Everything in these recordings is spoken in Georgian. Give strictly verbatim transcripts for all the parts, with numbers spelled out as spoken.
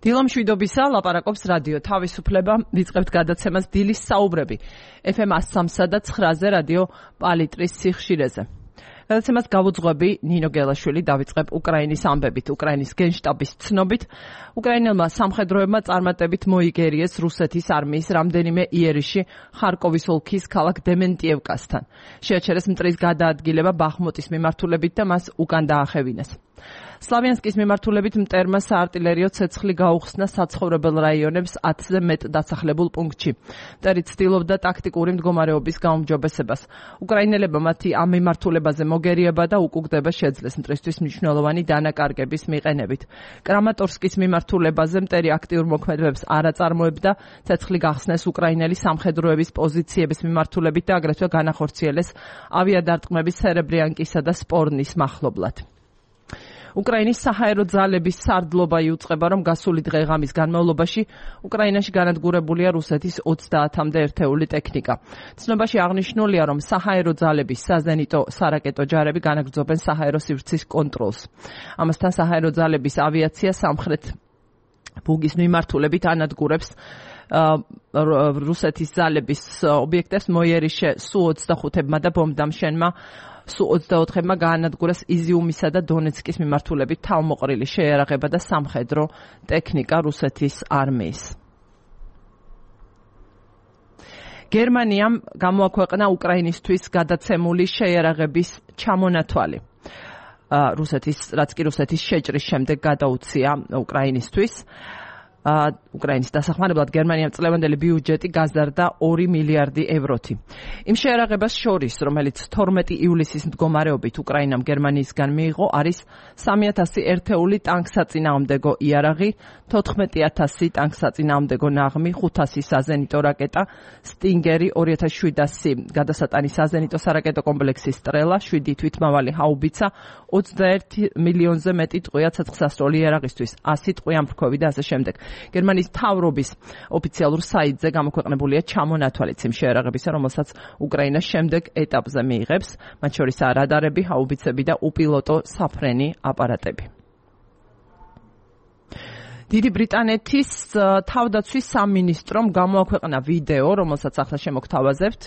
დილამშვიდობისა, ლაპარაკობს რადიო თავისუფლება, ვიწყებთ გადაცემას დილის საუბრები. ეფ ემ one oh three და nine-ზე რადიო პალიტრის სიხშირეზე. გადაცემას გავუძღვები ნინო გელაშვილი, დავიწყებ უკრაინის ამბებით, უკრაინის გენშტაბის ცნობით. უკრაინელმა სამხედროებმა წარმატებით მოიგერიეს რუსეთის არმიის რამდენიმე იერიში ხარკოვის ოლქის ქალაქ დემენტიევკასთან. შეაჩერეს მტრის გადაადგილება ბახმუტის მიმართულებით და მას უკან დაახევინეს. სლავიანსკის მიმართულებით მტერმა საარტილერიო ცეცხლი გაუხსნა საცხოვრებელ რაიონებს ათზე მეტ დასახლებულ პუნქტში. მტერი ცდილობდა ტაქტიკური მდგომარეობის გაუმჯობესებას. უკრაინელებმა მათი ამ მიმართულებაზე მოგერიება და უკუგდება შეძლეს მტრისთვის მნიშვნელოვანი დანაკარგების მიყენებით. კრამატორსკის მიმართულებაზე მტერი აქტიურ მოქმედებებს არ აწარმოებდა, ცეცხლი გახსნეს უკრაინელი სამხედროების პოზიციების მიმართულებით და აგრეთვე განახორციელეს ავიადარტყმების სერებრიანკისა და სპორნის მახლობლად. უკრაინის საჰაერო ძალების სარდლობა იუწყება, რომ გასული დღე-ღამის განმავლობაში უკრაინაში განადგურებულია რუსეთის ოცდაათამდე ერთეული ტექნიკა. ცნობაში აღნიშნულია, რომ საჰაერო ძალების საზენიტო სარაკეტო ჯარები განაგრძობენ საჰაერო სივრცის კონტროლს. ამასთან საჰაერო ძალების ავიაცია სამხრეთ ბუგის მიმართულებით ანადგურებს რუსეთის ძალების ობიექტებს მოიერიშე სუ ოცდახუთმა და ბომბდამშენმა სუ ოცდაოთხმა გაანადგურეს იზიუმისა და დონეცკის მიმართულებით თავმოყრილი შეიარაღება და სამხედრო ტექნიკა რუსეთის არმიის. გერმანიამ გამოაქვეყნა უკრაინისთვის გადაცემული შეიარაღების ჩამონათვალი. რუსეთის, რაც კი რუსეთის შეჭრის შემდეგ გადაუცია უკრაინისთვის. უკრაინის დასახმარებლად გერმანიამ წლევანდელი ბიუჯეტი გაზარდა ორი მილიარდი ევროთი. იმ შეიარაღებას შორის, რომელიც თორმეტი ივლისის მდგომარეობით უკრაინამ გერმანიისგან მიიღო, არის სამი ათასი ერთეული ტანკსაწინააღმდეგო იარაღი, თოთხმეტი ათასი ტანკსაწინააღმდეგო ნაღმი, ხუთასი საზენიტო რაკეტა, სტინგერი, ორი ათას შვიდასი გადასატანი საზენიტო სარაკეტო კომპლექსი სტრელა, შვიდი თვითმავალი ჰაუბიცა, ოცდაერთი მილიონზე მეტი ტყვია ცეცხლსასროლი იარაღისთვის, ასი ტყვი ამფრქვევი და ასე შემდეგ. გერმანიის მთავრობის ოფიციალურ საიტზე გამოქვეყნებულია ჩამონათვალიც იმ შეიარაღებისა, რომელსაც უკრაინა შემდეგ ეტაპზე მიიღებს, მათ შორისაა რადარები, ჰაუბიცები და უპილოტო საფრენი აპარატები. დიდი ბრიტანეთის თავდაცვის სამინისტრომ გამოაქვეყნა ვიდეო, რომელსაც ახლა შემოგთავაზებთ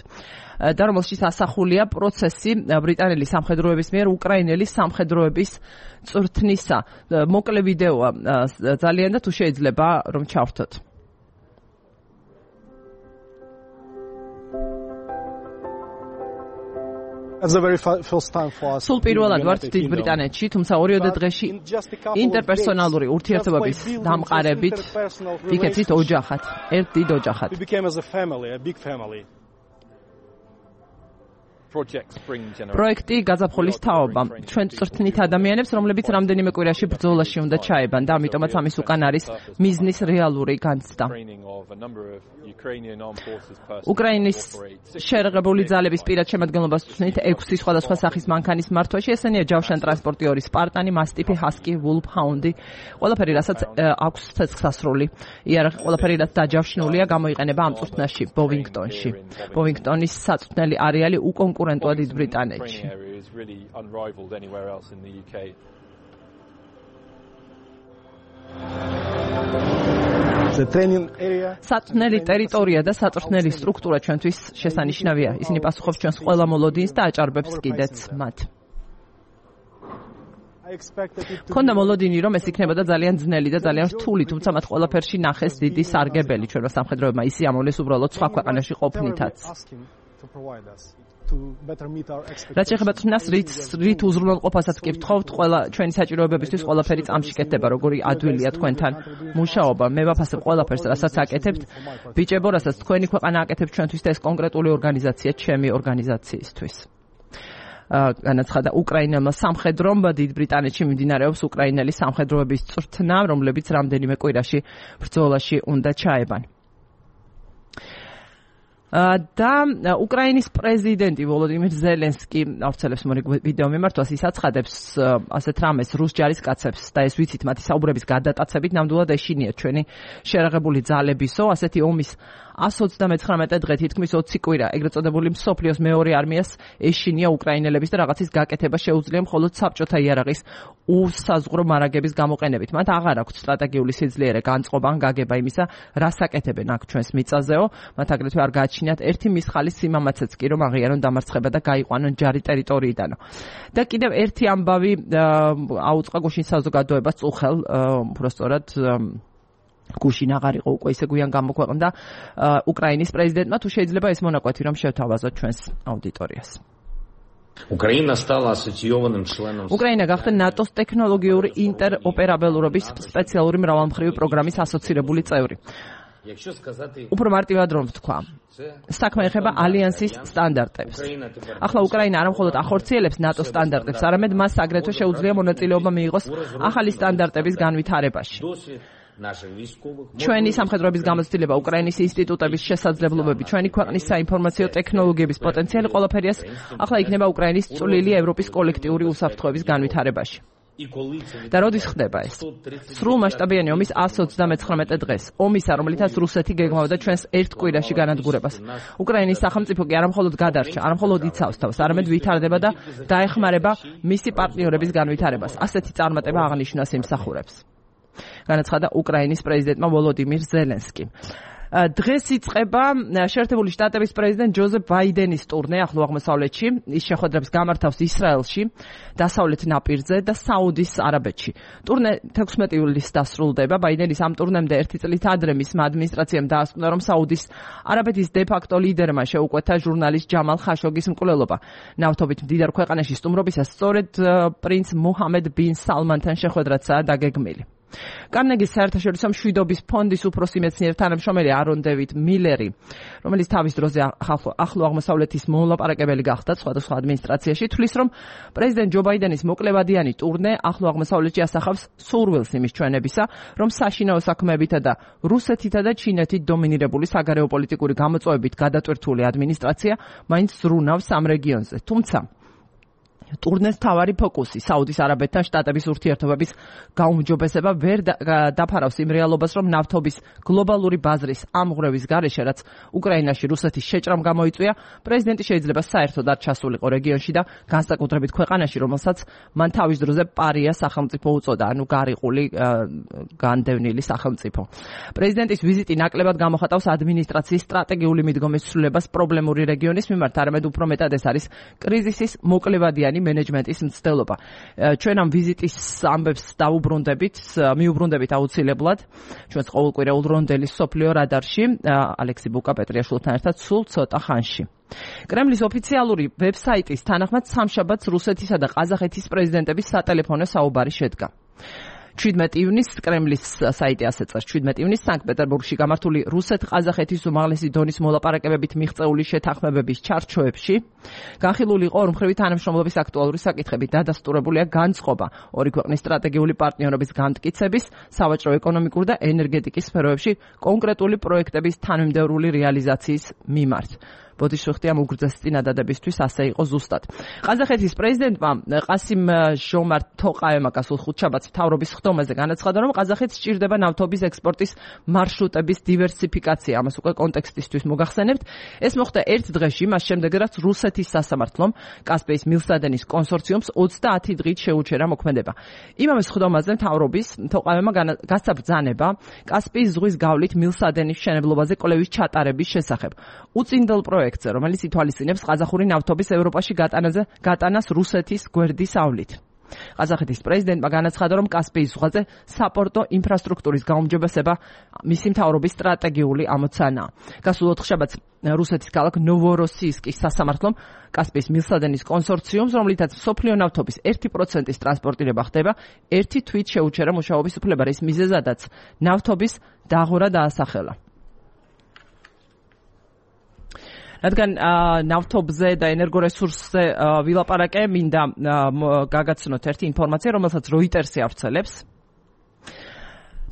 და რომელშიც ასახულია პროცესი ბრიტანელი სამხედროების მიერ უკრაინელი სამხედროების წვრთნისა. მოკლე ვიდეოა ძალიან და თუ შეიძლება რომ ჩავრთოთ. სულ პირველად ვართ დიდ ბრიტანეთში, თუმცა ორიოდე დღეში ინტერპერსონალური ურთიერთობების დამყარებით ვიქცეთ ოჯახად, ერთ დიდ ოჯახად. პროექტი გაზაფხულის თაობა. ჩვენ წვრთნით ადამიანებს, რომლებიც რამდენიმე კვირაში ბრძოლაში უნდა ჩაებან და ამიტომაც ამის უკან არის მიზნის რეალური განცდა. უკრაინის შეერაღებული ძალების პირად შემადგენლობას ვწვნით ექვსი სხვადასხვა სახის მანქანის მართვაში. ესენია ჯავშან ტრანსპორტი ორი სპარტანი, მასტიფი, ჰასკი, ვულფჰაუნდი. ყველაფერი, რასაც აქვს ცეცხლსასროლი იარაღი, ყველაფერი, რაც დაჯავშნულია, გამოიყენება ამ წვრთნაში ბოვინგტონში. ბოვინგტონის საწვრთნელი არეალი უკონკურენტოა დიდ ბრიტანეთში. საწვრთნელი ტერიტორია და საწვრთნელი სტრუქტურა ჩვენთვის შესანიშნავია. ისინი პასუხობს ჩვენს ყველა მოლოდინს და აჭარბებს კიდეც მათ. მქონდა მოლოდინი, რომ ეს იქნებოდა ძალიან ძნელი და ძალიან რთული, თუმცა მათ ყველაფერში ნახეს დიდი სარგებელი ჩვენმა სამხედროებმა. ისი ამოვლეს უბრალოდ სხვა ქვეყანაში ყოფნითაც. რაც შეეხება წვნას, რით უზრუნველყოფასაც კი ვთხოვთ, ყველა ჩვენი საჭიროებებისთვის ყველაფერი წამშიკეთდება, როგორი ადვილია თქვენთან მუშაობა. მე ვაფასებ ყველაფერს, რასაც აკეთებთ. ბიჭებო, რასაც თქვენი ქვეყანა აკეთებს ჩვენთვის და ეს კონკრეტული ორგანიზაცია ჩემი ორგანიზაციისთვის. განაცხადა უკრაინელმა სამხედრომ, დიდ ბრიტანეთში მიმდინარეობს უკრაინელი სამხედროების წვრთნა, რომლებიც რამდენიმე კვირაში ბრძოლაში უნდა ჩაებან. და უკრაინის პრეზიდენტი ვოლოდიმირ ზელენსკი ავრცელებს მორიგ ვიდეო მიმართვას ის აცხადებს ასეთ რამეს რუს ჯარისკაცებს და ეს ვიცით მათი საუბრების გადატაცებით ნამდვილად ეშინიათ ჩვენი შერაღებული ძალებისო ასეთი ომის one hundred ninety-nine დღე თითქმის ოცი კვირა ეგრეთ წოდებული მსოფლიოს მეორე არმიას ეშინია უკრაინელების და რაღაცის გაკეთება შეუძლია მხოლოდ საბჭოთა იარაღის უსაზღვრო მარაგების გამოყენებით. მათ აღარ აქვს სტრატეგიული სიძლიერე განწყობა ან გაგება იმისა, რას აკეთებენ აქ ჩვენს მიწაზეო. მათ აგრეთვე არ გააჩინიათ ერთი მისხალის სიმამაცეც კი რომ აღიარონ დამარცხება და გაიყვანონ ჯარი ტერიტორიიდანო. და კიდევ ერთი ამბავი აუწყა გუშინ საზოგადოებას წუხელ უბრალოდ გუშინ აღარ იყო უკვე ისე გვიან გამოქვეყნდა უკრაინის პრეზიდენტმა თუ შეიძლება ეს მონაკვეთი რომ შევთავაზოთ ჩვენს აუდიტორიას. Украина стала ассоциированным членом. უკრაინა გახდა ნატოს ტექნოლოგიური ინტეროპერაბელურობის სპეციალური მრავალმხრივი პროგრამის ასოცირებული წევრი. უფრო მარტივად რომ ვთქვა, საქმე ეხება ალიანსის სტანდარტებს. ახლა უკრაინა არა მხოლოდ ახორციელებს ნატოს სტანდარტებს, არამედ მას აგრეთვე შეუძლია მონაწილეობა მიიღოს ახალი სტანდარტების განვითარებაში. ჩვენი სამხედროების გამოცდილება, უკრაინის ინსტიტუტების შესაძლებლობები, ჩვენი ქვეყნის საინფორმაციო ტექნოლოგიების პოტენციალი ყველაფერიას ახლა იქნება უკრაინის წვლილი ევროპის კოლექტიური უსაფრთხოების განვითარებაში. და როდის ხდება ეს? სრულმასშტაბიანი ომის one hundred ninety-nine დღეს. ომისა, რომლითაც რუსეთი გეგმავდა ჩვენს ერთ კვირაში განადგურებას. უკრაინის სახელმწიფო კი არა მხოლოდ გადარჩა, არა მხოლოდ იცავს თავს, არამედ ვითარდება და დაეხმარება მისი პარტნიორების განვითარებას. ასეთი წარმატება აღნიშნავს იმსახურებს. განაცხადა უკრაინის პრეზიდენტმა ვოლოდიმირ ზელენსკი. დღეს იწყება შეერთებული შტატების პრეზიდენტ ჯოზეფ ბაიდენის ტურნე ახლო აღმოსავლეთში. ის შეხვედრებს გამართავს ისრაელში, დასავლეთ ნაპირზე და საუდის არაბეთში. ტურნე თექვსმეტი ივლისს დასრულდება. ბაიდენის ამ ტურნემდე ერთი წლით ადრე მისმა ადმინისტრაციამ დაასკვნა, რომ საუდის არაბეთის დე-ფაქტო ლიდერმა შეუკვეთა ჟურნალისტ ჯამალ ხაშოგის მკვლელობა. ნავთობით მდიდარ ქვეყანაში სტუმრობისას სწორედ პრინც მუჰამედ ბინ სალმანთან შეხვედრაცაა დაგეგმილი. კარნეგის საერთაშორისო მშვიდობის ფონდის უფროსი მეცნიერ თანამშრომელი არონ დევიდ მილერი, რომელიც თავის დროზე ახლო აღმოსავლეთის მოლაპარაკებელი გახდა სხვადასხვა ადმინისტრაციაში, თვლის, რომ პრეზიდენტ ჯო ბაიდენის მოკლევადიანი ტურნე ახლო აღმოსავლეთში ასახავს სურვილს იმის ჩვენებისა, რომ საშინაო საქმეებითა და რუსეთითა და ჩინეთით დომინირებული საგარეო პოლიტიკური გამოწვევებით გადატვირთული ადმინისტრაცია მაინც ზრუნავს ამ რეგიონზე. თუმცა ტურნეს თავარი ფოკუსი საუდის არაბეთთან შტატების ურთიერთობების გაუმჯობესება ვერ დაფარავს იმ რეალობას, რომ ნავთობის გლობალური ბაზრის ამღვრევის გარეშე, რაც უკრაინაში რუსეთის შეჭრამ გამოიწვია, პრეზიდენტი შეიძლება საერთოდ არ ჩასულიყო რეგიონში და განსაკუთრებით ქვეყანაში, რომელსაც მან თავის დროზე პარია სახელმწიფო უწოდა, ანუ გარიყული განდევნილი სახელმწიფო. პრეზიდენტის ვიზიტი ნაკლებად გამოხატავს ადმინისტრაციის სტრატეგიული მიდგომის ცვლილებას პრობლემური რეგიონის მიმართ, არამედ უფრო მეტად ეს არის კრიზისის მოკლევადიანი მენეჯმენტის მცდელობა. ჩვენ ამ ვიზიტის ამბებს დაუბრუნდებით, მიუბრუნდებით აუცილებლად ჩვენს ყოველკვირეულ რონდელის სოფლიო რადარში ალექსი ბუკა-პეტრიაშვილთან ერთად სულ ცოტა ხანში. კრემლის ოფიციალური ვებსაიტის თანახმად სამშაბათს რუსეთისა და ყაზახეთის პრეზიდენტების სატელეფონო საუბარი შედგა. შვიდმეტი ივნისს კრემლის საიტი ასე წერს, შვიდმეტი ივნისს სანქტ-პეტერბურგში გამართული რუსეთ-ყაზახეთის უმაღლესი დონის მოლაპარაკებებით მიღწეული შეთანხმებების ჩარჩოებში განხილული იყო ორმხრივი თანამშრომლობის აქტუალური საკითხები, დადასტურებულია განწყობა ორი ქვეყნის სტრატეგიული პარტნიორობის განმტკიცების, სავაჭრო, ეკონომიკურ და ენერგეტიკის სფეროებში კონკრეტული პროექტების თანმიმდევრული რეალიზაციის მიმართ. ბოდიშუხტი ამ უგრძეს წინადადებისთვის ასე იყო ზუსტად. ყაზახეთის პრეზიდენტმა ყასიმ ჟომართ თოყაევმა გასულ ხუთშაბათს მთავრობის ხდომაზე განაცხადა, რომ ყაზახეთს სჭირდება ნავთობის ექსპორტის მარშრუტების დივერსიფიკაცია. ამას უკვე კონტექსტისთვის მოგახსენებთ. ეს მოხდა ერთ დღეში, მას შემდეგ, რაც რუსეთის სასამართლომ კასპიის მილსადენის კონსორციუმს ოცდაათი დღით შეუჩერა მოქმედება. იმავე ხდომაზე მთავრობის თოყაევმა გასცა ბრძანება კასპიის ზღვის გავლით მილსადენის მშენებლობაზე კვლევის ჩატარების შესახებ. უწინდელ პროექტზე, რომელიც ითვალისწინებს ყაზახური ნავთობის ევროპაში გატანაზე გატანას რუსეთის გვერდის ავლით. ყაზახეთის პრეზიდენტმა განაცხადა, რომ კასპიის ზღვაზე საპორტო ინფრასტრუქტურის გაუმჯობესება მისი მთავრობის სტრატეგიული ამოცანაა. გასულ ოთხშაბათს რუსეთის ქალაქ ნოვოროსიისკის სასამართლომ კასპიის მილსადენის კონსორციუმს, რომლითაც მსოფლიო ნავთობის ერთი პროცენტის ტრანსპორტირება ხდება, ერთი თვით შეუჩერა მუშაობის უფლება, რის მიზეზადაც ნავთობის დაღვრა დაასახელა. რადგან ნავთობზე და ენერგორესურსზე ვილაპარაკე, მინდა გაგაცნოთ ერთი ინფორმაცია, რომელსაც როიტერსი ავრცელებს.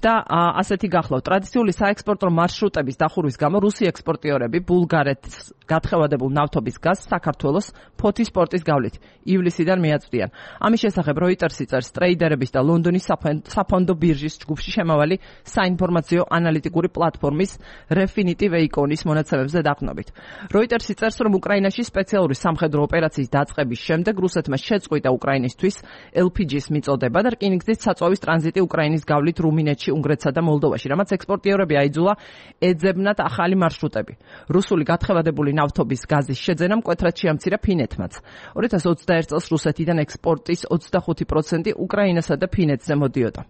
და ასეთი გახლავთ. ტრადიციული საექსპორტო მარშრუტების დახურვის გამო რუსი ექსპორტიორები ბულგარეთს გათხევადებულ ნავთობის გაზს საქართველოს ფოთის პორტის გავლით ივლისიდან მიაწვდიან. ამის შესახებ როიტერსი წერს ტრეიდერების და ლონდონის საფონდო ბირჟის ჯგუფში შემავალი საინფორმაციო ანალიტიკური პლატფორმის Refinitiv Econis მონაცემებზე დაყნობით. როიტერსი წერს, რომ უკრაინაში სპეციალური სამხედრო ოპერაციის დაწყების შემდეგ რუსეთმა შეწყვიტა უკრაინისთვის ელ პი ჯის მიწოდება და რკინიგზის საწვავის ტრანზიტი უკრაინის გავლით რუმინეთში, უნგრეთსა და მოლდოვაში, რამაც ექსპორტიორები აიძულა ეძებნათ ახალი მარშრუტები. რუსული გათხევადებული ნავთობის გაზის შეძენა მკვეთრად შეამცირა ფინეთმაც. ორი ათას ოცდაერთ წელს რუსეთიდან ექსპორტის ოცდახუთი პროცენტი უკრაინასა და ფინეთზე მოდიოდა.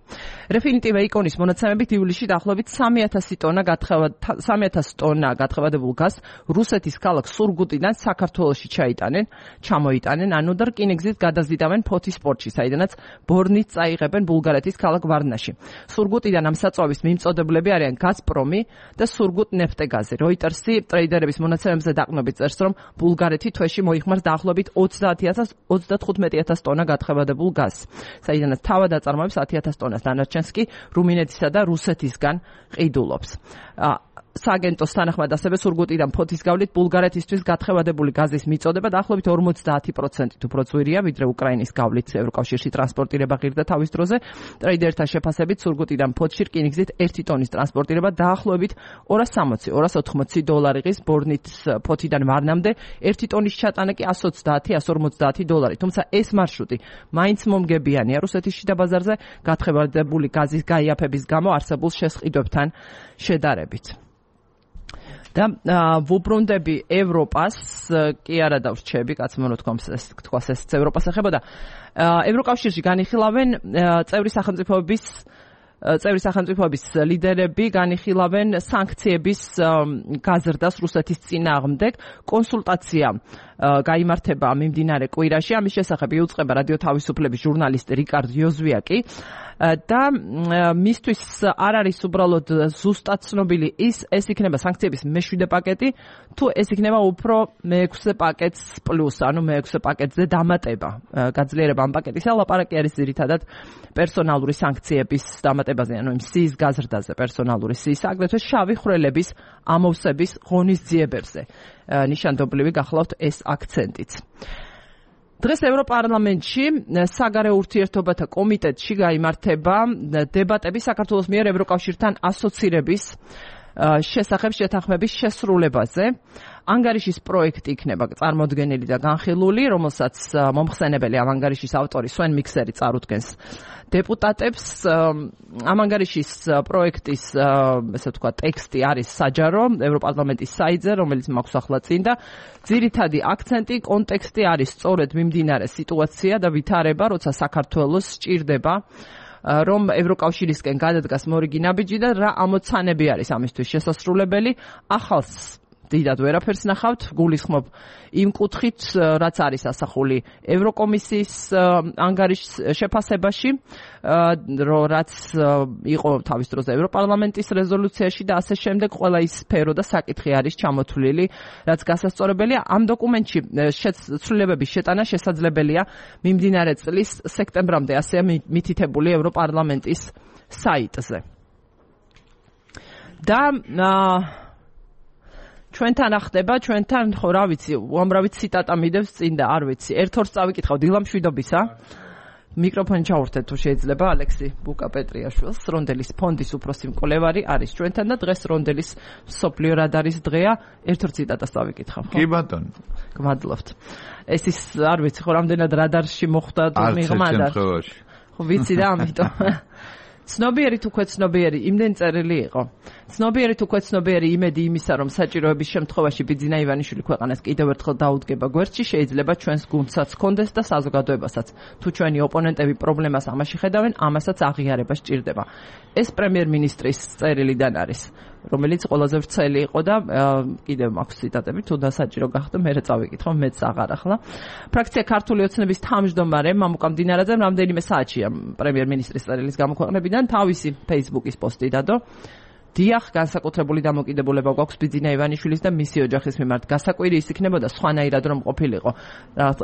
Refinitiv Econis მონაცემებით ივლისში დაახლოებით სამი ათასი ტონა სამი ათასი ტონა გათხევადებულ გაზს რუსეთის ქალაქ სურგუტიდან საქართველოში ჩაიტანენ, ჩამოიტანენ, ანუ და რკინიგზით გადაზიდავენ ფოთის პორტში, საიდანაც ბორნით წაიღებენ ბულგარეთის ქალაქ ვარნაში. სურგუტიდან ამ საწვავის მიმწოდებლები არიან გაზპრომი და სურგუტ ნეფტეგაზი. როიტერსი ტრეიდერების მონაცემებზე დაყნობით წერს, რომ ბულგარეთი თვეში მოიხმარს დაახლოებით ოცდათხუთმეტი ათას ტონა გათხევადებულ გაზს, საიდანაც თავად აწარმოებს ათი ათას ტონას, დანარჩენს კი რუმინეთისა და რუსეთისგან ყიდულობს. სააგენტოს თანახმად ასევე სურგუტიდან ფოთის გავლით ბულგარეთისთვის გათხევადებული გაზის მიწოდება დაახლოებით ორმოცდაათი პროცენტით უფრო ძვირია, ვიდრე უკრაინის გავლით ევროკავშირში ტრანსპორტირება ღირდა თავის დროზე. ტრეიდერთა შეფასებით სურგუტიდან ფოთში რკინიგზით ერთი ტონის ტრანსპორტირება დაახლოებით ორას სამოცი ორას ოთხმოცი დოლარი ღირს, ბორნით ფოთიდან ვარნამდე ერთი ტონის ჩატანა კი εκατს ოცდაათი εκατს ორმოცდაათი დოლარი. თუმცა ეს მარშრუტი მაინც მომგებიანია რუსეთის შიდა ბაზარზე გათხევადებული გაზის გაიაფების გამო არსებულ შესყიდვებთან შედარებით. და ვუბრუნდები ევროპას, კი არა დავრჩები, კაც მომნო თქვას ეს ევროპას ეხებოდა. ევროკავშირში განიხილავენ წევრი სახელმწიფოების წევრი სახელმწიფოების ლიდერები განიხილავენ სანქციების გაზრდას რუსეთის წინააღმდეგ. კონსულტაცია გაიმართება მიმდინარე კვირაში. ამის შესახებ იუწყება რადიო თავისუფლების ჟურნალისტი რიკარდ იოზვიაკი და მისთვის არ არის უბრალოდ ზუსტად ცნობილი ის ეს იქნება სანქციების მეშვიდე პაკეტი, თუ ეს იქნება უფრო მეექვსე პაკეტს პლუს, ანუ მეექვსე პაკეტზე დამატება. გაძლიერება ამ პაკეტისა ლაპარაკი არის ძირითადად პერსონალური სანქციების დამატებაზე, ანუ იმ სიის გაზრდაზე, პერსონალური სიის, აგრეთვე შავი ხვრელების ამოვსების ღონისძიებებზე. ნიშანდობლივი გახლავთ ეს აქცენტიც. დღეს ევროპარლამენტში საგარეო ურთიერთობათა კომიტეტში გაიმართება დებატები საქართველოს მიერ ევროკავშირთან ასოცირების შესახებ შეთანხმების შესრულებაზე. ანგარიშის პროექტი იქნება წარმოდგენილი და განხილული, რომელსაც მომხსენებელი ამ ანგარიშის ავტორი სვენ მიქსერი წარუდგენს დეპუტატებს. ამ ანგარიშის პროექტის ესე ვთქვა ტექსტი არის საჯარო ევროპარლამენტის საიტზე, რომელიც მაქვს ახლა წინ და ძირითადი აქცენტი, კონტექსტი არის სწორედ მიმდინარე სიტუაცია და ვითარება, როცა საქართველოს სჭირდება რომ ევროკავშირისკენ გადადგას მორიგი ნაბიჯი და რა ამოცანები არის ამისთვის შესასრულებელი. ახალს დიდად ვერაფერს ნახავთ, გულისხმობ იმ კუთხით, რაც არის ასახული ევროკომისიის ანგარიშის შეფასებაში, რაც იყო თავის დროზე ევროპარლამენტის რეზოლუციაში და ასე შემდეგ. ყველა ის სფერო და საკითხი არის ჩამოთვლილი, რაც გასასწორებელია. ამ დოკუმენტში ცვლილებების შეტანა შესაძლებელია მიმდინარე წლის სექტემბრამდე, ასეა მითითებული ევროპარლამენტის საიტზე. და ჩვენთან ახდება, ჩვენთან ხო რა ვიცი, უამრავი ციტატა მიდევს წინ და არ ვიცი. ერთ ორს წავიკითხავ დილამშვიდობისა. მიკროფონი ჩაურთეთ თუ შეიძლება ალექსი ბუკა-პეტრიაშვილს, რონდელის ფონდის უფროსი მკვლევარი არის ჩვენთან და დღეს რონდელის მსოფლიო რადარის დღეა. ერთ ორ ციტატას წავიკითხავ, ხო? კი ბატონო. გმადლობთ. ეს ის არ ვიცი ხო რამდენად რადარში მოხვდა თუ მიღმა და ხო ვიცი და ამიტომ ცნობიერი თუ ქვეცნობიერი იმდენ წერილი იყო. ცნობიერი თუ ქვეცნობიერი იმედი იმისა, რომ საჭიროების შემთხვევაში ბიძინა ივანიშვილი ქვეყანას კიდევ ერთხელ დაუდგება გვერდში, შეიძლება ჩვენს გუნდსაც ჰქონდეს და საზოგადოებასაც. თუ ჩვენი ოპონენტები პრობლემას ამაში ხედავენ, ამასაც აღიარება სჭირდება. ეს პრემიერ-მინისტრის წერილიდან არის, რომელიც ყველაზე ვრცელი იყო და კიდევ მაქვს ციტატები, თუ დასაჭირო გახდა, მე წავიკითხო, მეც აღარ ახლა. ფრაქცია ქართული ოცნების თავმჯდომარე მამუკა მდინარაძემ რამდენიმე საათშია პრემიერ-მინისტრის წერილის გამოქვეყნებიდან თავისი Facebook-ის პოსტი დადო. დიახ, განსაკუთრებული დამოკიდებულება გვაქვს ბიძინა ივანიშვილის და მისი ოჯახის მიმართ. გასაკვირი ის იქნებოდა სხვანაირად რომ ყოფილიყო.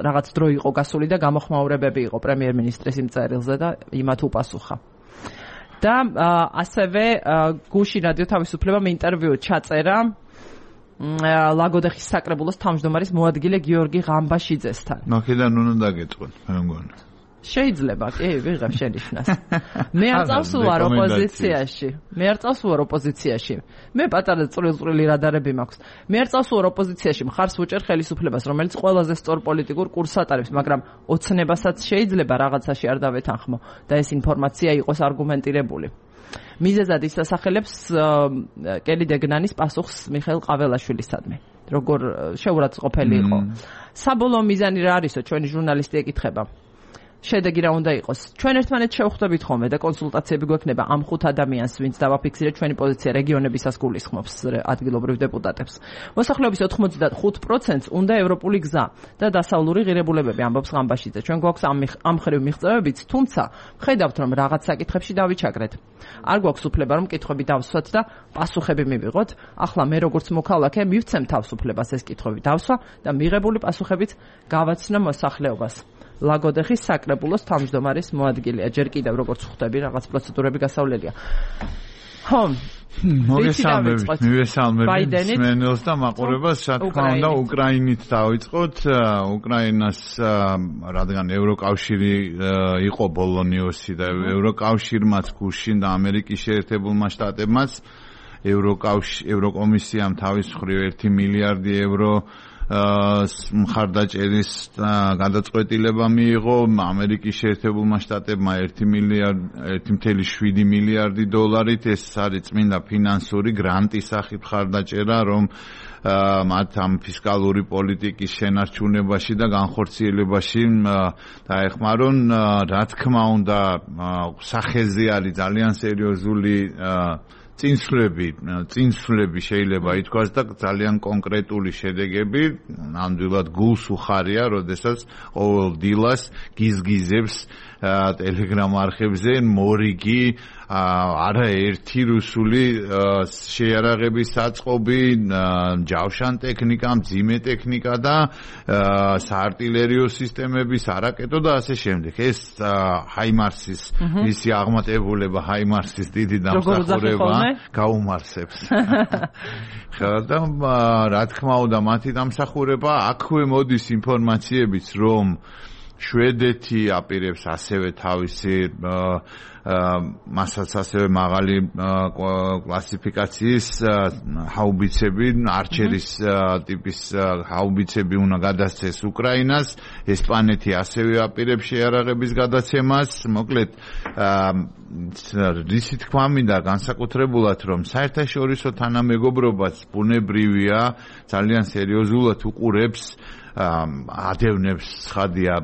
რაღაც დრო იყო გასული და გამოხმაურებები იყო პრემიერ-მინისტრის იმ წერილზე და იმათ უპასუხა. და ასევე გუშინ რადიო თავისუფლებამ ინტერვიუ ჩაწერა ლაგოდეხის საკრებულოს თავმჯდომარის მოადგილე გიორგი ღამბაშიძესთან. მაქედან უნდა დაგეწყოთ, მე მგონი. შეიძლება, კი, ვიღებ შენიშვნას. მე არ წავსულვარ ოპოზიციაში. მე არ წავსულვარ ოპოზიციაში. მე პატარა წვრილ-წვრილი რადარები მაქვს. მე არ წავსულვარ ოპოზიციაში, მხარს ვუჭერ ხელისუფლებას, რომელიც ყველაზე სწორ პოლიტიკურ კურსს ატარებს, მაგრამ ოცნებასაც შეიძლება რაღაცაში არ დავეთანხმო და ეს ინფორმაცია იყოს არგუმენტირებული. მიზეზად ის ასახელებს კელი დეგნანის პასუხს მიხეილ ყაველაშვილისადმი. როგორ შეურაცხყოფელი იყო. საბოლოო მიზანი რა არისო, ჩვენი ჟურნალისტი ეკითხება. შედეგი რა უნდა იყოს? ჩვენ ერთმანეთს შევხვდებით ხოლმე და კონსულტაციები გვექნება ამ ხუთ ადამიანს, ვინც დავაფიქსირეთ ჩვენი პოზიცია რეგიონებისას გულისხმობს ადგილობრივ დეპუტატებს. მოსახლეობის ოცდახუთ პროცენტს უნდა ევროპული გზა და დასავლური ღირებულებები, ამბობს ღამბაშიძე. ჩვენ გვაქვს ამ ამ ხრივ მიღწევებიც, თუმცა ხედავთ, რომ რაღაც საკითხებში დავიჩაგრეთ. არ გვაქვს უფლება რომ კითხვები დავსვათ და პასუხები მივიღოთ. ახლა მე როგორც მოქალაქე მივცემ თავისუფლებას ეს კითხვები დავსვა და მიღებული პასუხებით გავაცნო მოსახლეობას. ლაგოდეხის საკრებულოს თავმჯდომარის მოადგილეა. ჯერ კიდევ როგორც ხვდები, რაღაც პროცედურები გასავლელია. ხო, მოგესალმებით, მივესალმებით მენელს და მაყურებელს, რა თქმა უნდა, უკრაინით დავიწყოთ. უკრაინას, რადგან ევროკავშირი იყო ბოლონიოსი და ევროკავშირმაც გუშინ და ამერიკის შეერთებულმა შტატებმაც ევროკომისიამ თავის მხრივ ერთი მილიარდი ევრო მხარდაჭერის გადაწყვეტილება მიიღო. ამერიკის შეერთებულმა შტატებმა ერთი მილიარდი შვიდი მილიარდი დოლარით. ეს არის წმინდა ფინანსური გრანტის სახით მხარდაჭერა, რომ მათ ამ ფისკალური პოლიტიკის შენარჩუნებაში და განხორციელებაში დაეხმარონ. რა თქმა უნდა, სახეზე არის ძალიან სერიოზული წინსვლები, წინსვლები შეიძლება ითქვას და ძალიან კონკრეტული შედეგები. ნამდვილად გულს უხარია, როდესაც ყოველ დილას გიზგიზებს ტელეგრამ არხებზე მორიგი არაერთი რუსული შეიარაღების საწყობი, ჯავშან ტექნიკა, მძიმე ტექნიკა და საარტილერიო სისტემების არაკეტო და ასე შემდეგ. ეს ჰაიმარსის ისი აღმატებულება, ჰაიმარსის დიდი დამსახურება გაუმარსებს. და რა თქმა უნდა, მათი დამსახურება აქვე მოდის ინფორმაციებიც, რომ შვედეთი აპირებს ასევე თავისი მასაც ასევე მაღალი კლასიფიკაციის ჰაუბიცები, არჩერის ტიპის ჰაუბიცები უნდა გადასცეს უკრაინას. ესპანეთი ასევე აპირებს შეიარაღების გადაცემას. მოკლედ, რისი თქვა მინდა განსაკუთრებულად, რომ საერთაშორისო თანამეგობრობაც ბუნებრივია, ძალიან სერიოზულად უყურებს ადევნებს ცხადია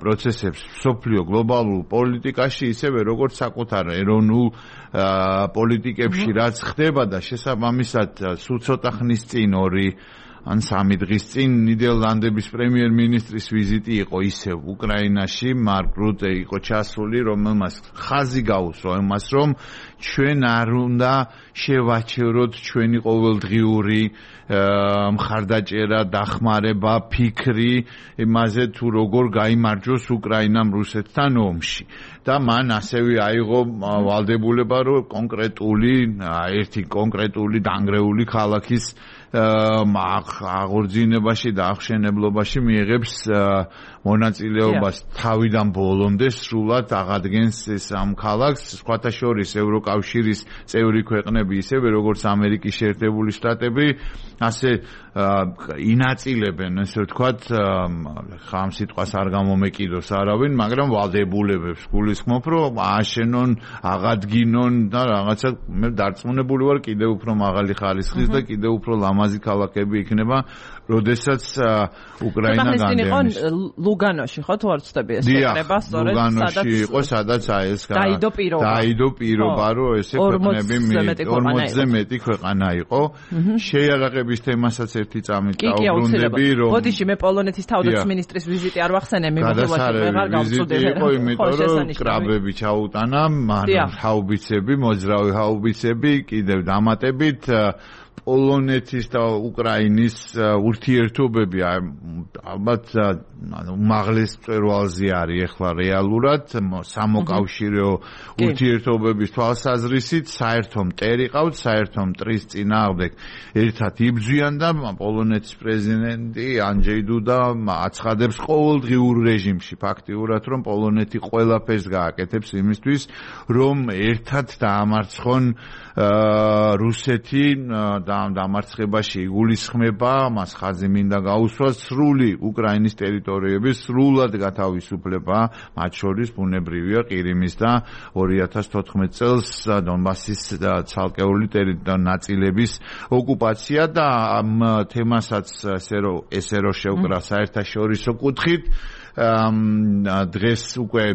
პროცესებს სოფლიო გლობალურ პოლიტიკაში, ისევე როგორც საკუთარ ეროვნულ პოლიტიკებში, რაც ხდება და შესაბამისად სულ ცოტა ხნის წინ ორი ან სამი დღის წინ ნიდერლანდების პრემიერ-მინისტრის ვიზიტი იყო ისევ უკრაინაში. მარკ რუტე იყო ჩასული, რომელმაც ხაზი გაუსვა იმას, რომ ჩვენ არ უნდა შევაჩეროთ ჩვენი ყოველდღიური მხარდაჭერა, დახმარება, ფიქრი იმაზე თუ როგორ გაიმარჯვოს უკრაინამ რუსეთთან ომში. და მან ასევე აიღო ვალდებულება, რომ კონკრეტული ერთი კონკრეტული დანგრეული ქალაქის აღორძინებაში და აღშენებლობაში მიიღებს მონაწილეობას თავიდან ბოლომდე სრულად აღადგენს ეს ამ ქალაქს. სხვათა შორის ევროკავშირის წევრი ქვეყნები, ისევე როგორც ამერიკის შეერთებული შტატები, ასე ინაწილებენ, ესე ვთქვათ, ხამ სიტყვას არ გამომეკიდოს არავინ, მაგრამ ვალდებულებებს გულისხმობ, რომ ააშენონ, აღადგინონ და რაღაცა მე დარწმუნებული ვარ, კიდევ უფრო მაღალი ხარისხის და კიდევ უფრო ლამაზი ქალაქები იქნება, როდესაც უკრაინა განდევნის. ლუგანოში ხო თუ არ ვცდები ეს შეკრება, სწორედ ლუგანოში იყო, სადაც აი ეს დაიდო პირობა. დაიდო პირობა, რომ ესე ქვეყნები ორმოცზე მეტი ქვეყანა იყო. შეიარაღების თემასაც ერთი წამით დავბრუნდები, რომ ბოდიში მე პოლონეთის თავდაცვის მინისტრის ვიზიტი არ ვახსენე, მიმოხილვაში ვეღარ გავწუდი. იყო იმიტომ, რომ კრაბები ჩაუტანა, მან ჰაუბიცები, მოძრავი ჰაუბიცები, კიდევ დამატებით პოლონეთის და უკრაინის ურთიერთობები ალბათ უმაღლეს მწვერვალზე არის ახლა რეალურად სამოკავშირეო ურთიერთობების თვალსაზრისით საერთო მტერი ყავთ, საერთო მტრის წინააღმდეგ ერთად იბრძვიან და პოლონეთის პრეზიდენტი ანჯეი დუდა აცხადებს ყოველდღიურ რეჟიმში ფაქტიურად რომ პოლონეთი ყველაფერს გააკეთებს იმისთვის რომ ერთად დაამარცხონ რუსეთი და დამარცხებაში იგულისხმება, მას ხაზი მინდა გაუსვას სრული უკრაინის ტერიტორიების სრულად გათავისუფლება, მათ შორის ბუნებრივია ყირიმის და ორი ათას თოთხმეტ წელს დონბასის ცალკეული ნაწილების ოკუპაცია და ამ თემასაც ესე რომ შევკრა საერთაშორისო კუთხით დღეს უკვე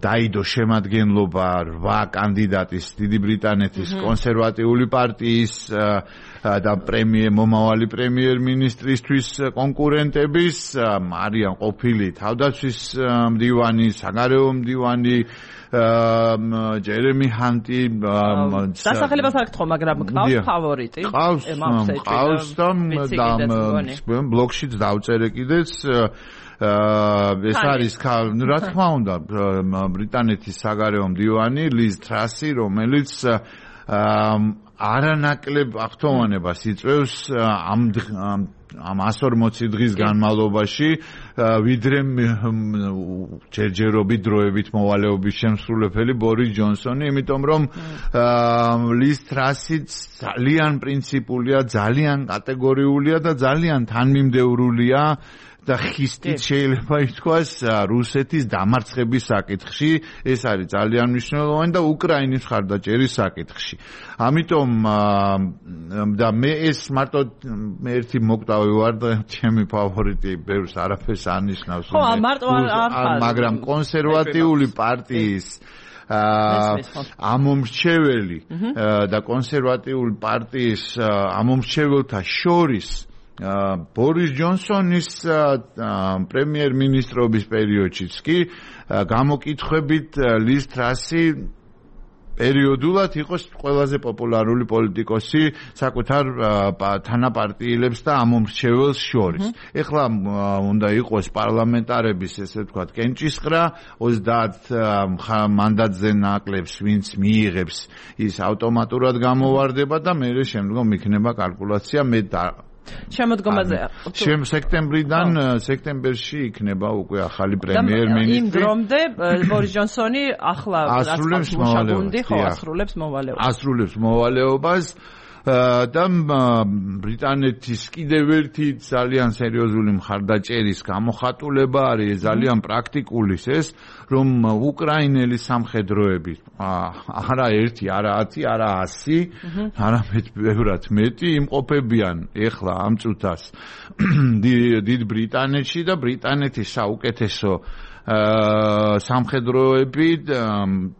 დაიდო შემადგენლობა რვა კანდიდატის დიდი ბრიტანეთის კონსერვატიული პარტიის და პრემიერ მომავალი პრემიერ-მინისტრისთვის კონკურენტების არიან ყოფილი თავდაცვის მდივანი, საგარეო მდივანი ჯერემი ჰანტი დასახელებას არ გთხოვ, მაგრამ გყავს ფავორიტი? ყავს, ყავს და ბლოგშიც დავწერე კიდეც ეს არის რა თქმა უნდა ბრიტანეთის საგარეო მდივანი ლიz ტრასი, რომელიც არანაკლებ აღთქმევანებას იწვევს ამ ამ εκατო ორმოცი დღის განმავლობაში ვიდრე ჯერჯერობით დროებით მოვალეობის შემსრულებელი ბორის ჯონსონი, იმიტომ რომ ლიz ტრასი ძალიან პრინციპულია, ძალიან კატეგორიულია და ძალიან თანმიმდევრულია და ხისტით შეიძლება ითქვას რუსეთის დამარცხების საკითხში, ეს არის ძალიან მნიშვნელოვანი და უკრაინის მხარდაჭერის საკითხში. ამიტომ და მე ეს მარტო მე ერთი მოკვდავი ვარ და ჩემი ფავორიტი ბევრს არაფერს ანიშნავს, მაგრამ კონსერვატიული პარტიის ამომრჩეველი და კონსერვატიული პარტიის ამომრჩეველთა შორის ბორის ჯონსონის პრემიერ-მინისტრობის პერიოდშიც კი გამოკითხვებით ლიz ტრასი პერიოდულად იყოს ყველაზე პოპულარული პოლიტიკოსი საკუთარ თანაპარტიელებს და ამომრჩეველს შორის. ეხლა უნდა იყოს პარლამენტარების ესე ვთქვათ კენჭისყრა, ოცდაათ მანდატზე ნაკლებს ვინც მიიღებს ის ავტომატურად გამოვარდება და მერე შემდგომ იქნება კალკულაცია მე შემოდგომაზე. სექტემბრიდან სექტემბერში იქნება უკვე ახალი პრემიერ-მინისტრი. იმ დრომდე ბორის ჯონსონი ახლა ასრულებს მოვალეობას. ხო, ასრულებს მოვალეობას. ასრულებს მოვალეობას და ბრიტანეთის კიდევ ერთი ძალიან სერიოზული მხარდაჭერის გამოხატულება არის ძალიან პრაქტიკული ეს, რომ უკრაინელი სამხედროები არა ერთი, არა ათი, არა ასი, არამედ ბევრად მეტი იმყოფებიან ეხლა ამ წუთას დიდ ბრიტანეთში და ბრიტანეთის საუკეთესო სამხედროები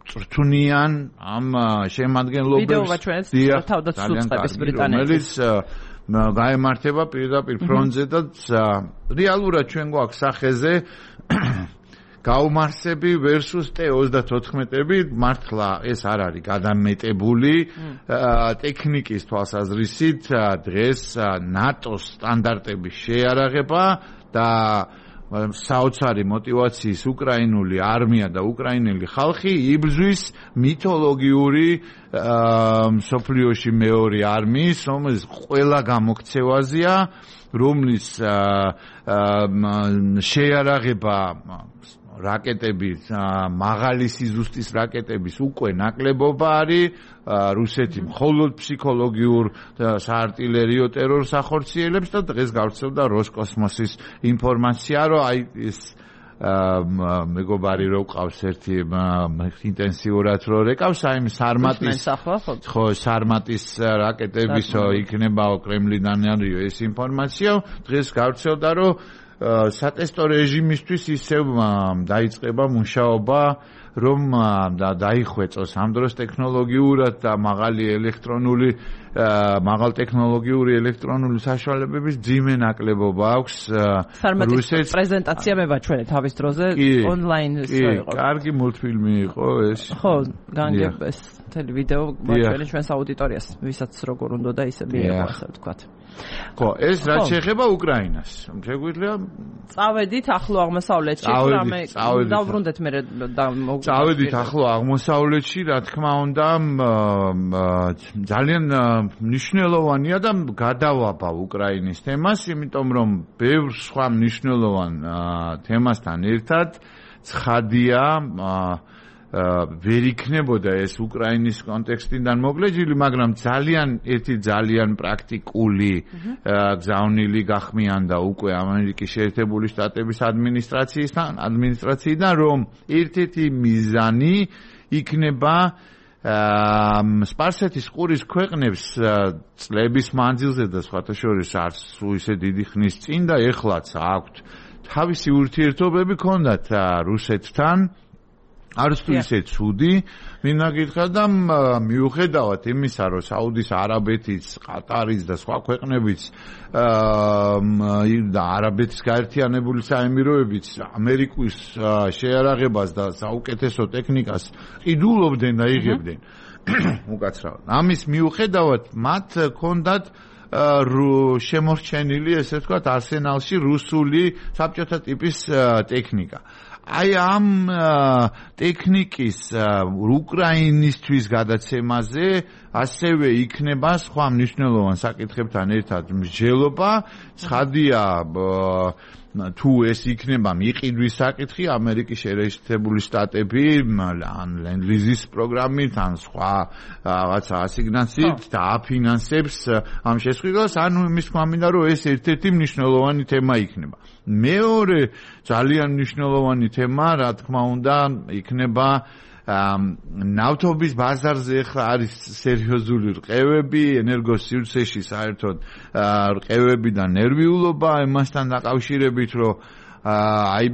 წრთუნიან ამ შემადგენლობებს თავდაცვის ბრიტანეთის გაემართება პირდაპირ ფრონტზე და რეალურად ჩვენ გვაქვს სახეზე გაუმარსები versus ტე ოცდათოთხმეტები მართლა ეს არ არის გადამეტებული ტექნიკის თვალსაზრისით დღეს ნატოს სტანდარტების შეიარაღება და საოცარი მოტივაციის უკრაინული არმია და უკრაინელი ხალხი იბრძვის მითოლოგიური მსოფლიოში მეორე არმიის, რომელიც ყველა გამოქცევაზეა, რომლის შეიარაღება რაკეტების მაღალი სიზუსტის რაკეტების უკვე ნაკლებობა არის რუსეთი მხოლოდ ფსიქოლოგიურ საარტილერიო ტერორს ახორციელებს და დღეს გავრცელდა როსკოსმოსის ინფორმაცია რომ აი ეს მეგობარი რო ყავს ერთი ინტენსიურად რო რეკავს აი სარმატის ხო სარმატის რაკეტებისო იქნება კრემლიდან არისო ეს ინფორმაცია დღეს გავრცელდა რომ სატესტო რეჟიმისთვის ისევ დაიწყება მუშაობა რომ დაიხვეწოს ამ დროს ტექნოლოგიურად და მაღალი ელექტრონული მაღალ ტექნოლოგიური ელექტრონული საშუალებების ძიმე ნაკლებობა აქვს რუსეთს. პრეზენტაცია მევაჩვენე თავის დროზე ონლაინ იყო. კარგი მულტფილმი იყო ეს. ხო, განგებს მთელი ვიდეო მოვაჩვენე ჩვენს აუდიტორიას, ვისაც როგორ უნდა და ისე მიიღო, ასე ვთქვათ. ხო, ეს რაც შეეხება უკრაინას. შეგვიძლია წავედით ახლო აღმოსავლეთში, რამე დავბრუნდეთ მე და წავედით ახლო აღმოსავლეთში, რა თქმა უნდა, ძალიან მნიშვნელოვანია და გადავაბა უკრაინის თემას, იმიტომ რომ ბევრ სხვა მნიშვნელოვან თემასთან ერთად ცხადია ვერ იქნებოდა ეს უკრაინის კონტექსტიდან მოგლეჯილი, მაგრამ ძალიან ერთი ძალიან პრაქტიკული გზავნილი გახმიანდა უკვე ამერიკის შეერთებული შტატების ადმინისტრაციისთან, ადმინისტრაციიდან, რომ ერთ-ერთი მიზანი იქნება სპარსეთის ყურის ქვეყნებს წლების მანძილზე და სხვათა შორის არც ისე დიდი ხნის წინ და ეხლაც აქვთ თავისი ურთიერთობები ქონდათ რუსეთთან. არც თუ ისე ცუდი, მინდა გითხრა და მიუხედავად იმისა, რომ საუდის არაბეთის, ყატარის და სხვა ქვეყნებიც და არაბეთის გაერთიანებული საემიროებიც ამერიკის შეარაღებას და საუკეთესო ტექნიკას ყიდულობდნენ და იღებდნენ. უკაცრავად. ამის მიუხედავად მათ ჰქონდათ შემორჩენილი, ესე ვთქვათ, არსენალში რუსული საბჭოთა ტიპის ტექნიკა. აი ამ ტექნიკის უკრაინისთვის გადაცემაზე ასევე იქნება სხვა მნიშვნელოვან საკითხებთან ერთად მსჯელობა. ცხადია თუ ეს იქნება მიყიდვის საკითხი, ამერიკის შეერთებული შტატები ან ლენდ-ლიზის პროგრამით, ან სხვა რაღაცა ასიგნაციით დააფინანსებს ამ შესყიდვას, ანუ იმის თქმა მინდა, რომ ეს ერთ-ერთი მნიშვნელოვანი თემა იქნება. მეორე ძალიან მნიშვნელოვანი თემა, რა თქმა უნდა, იქნება ნავთობის ბაზარზე ახლა არის სერიოზული რყევები, ენერგოსივრცეში საერთოდ რყევები და ნერვიულობა იმასთან დაკავშირებით, რომ აი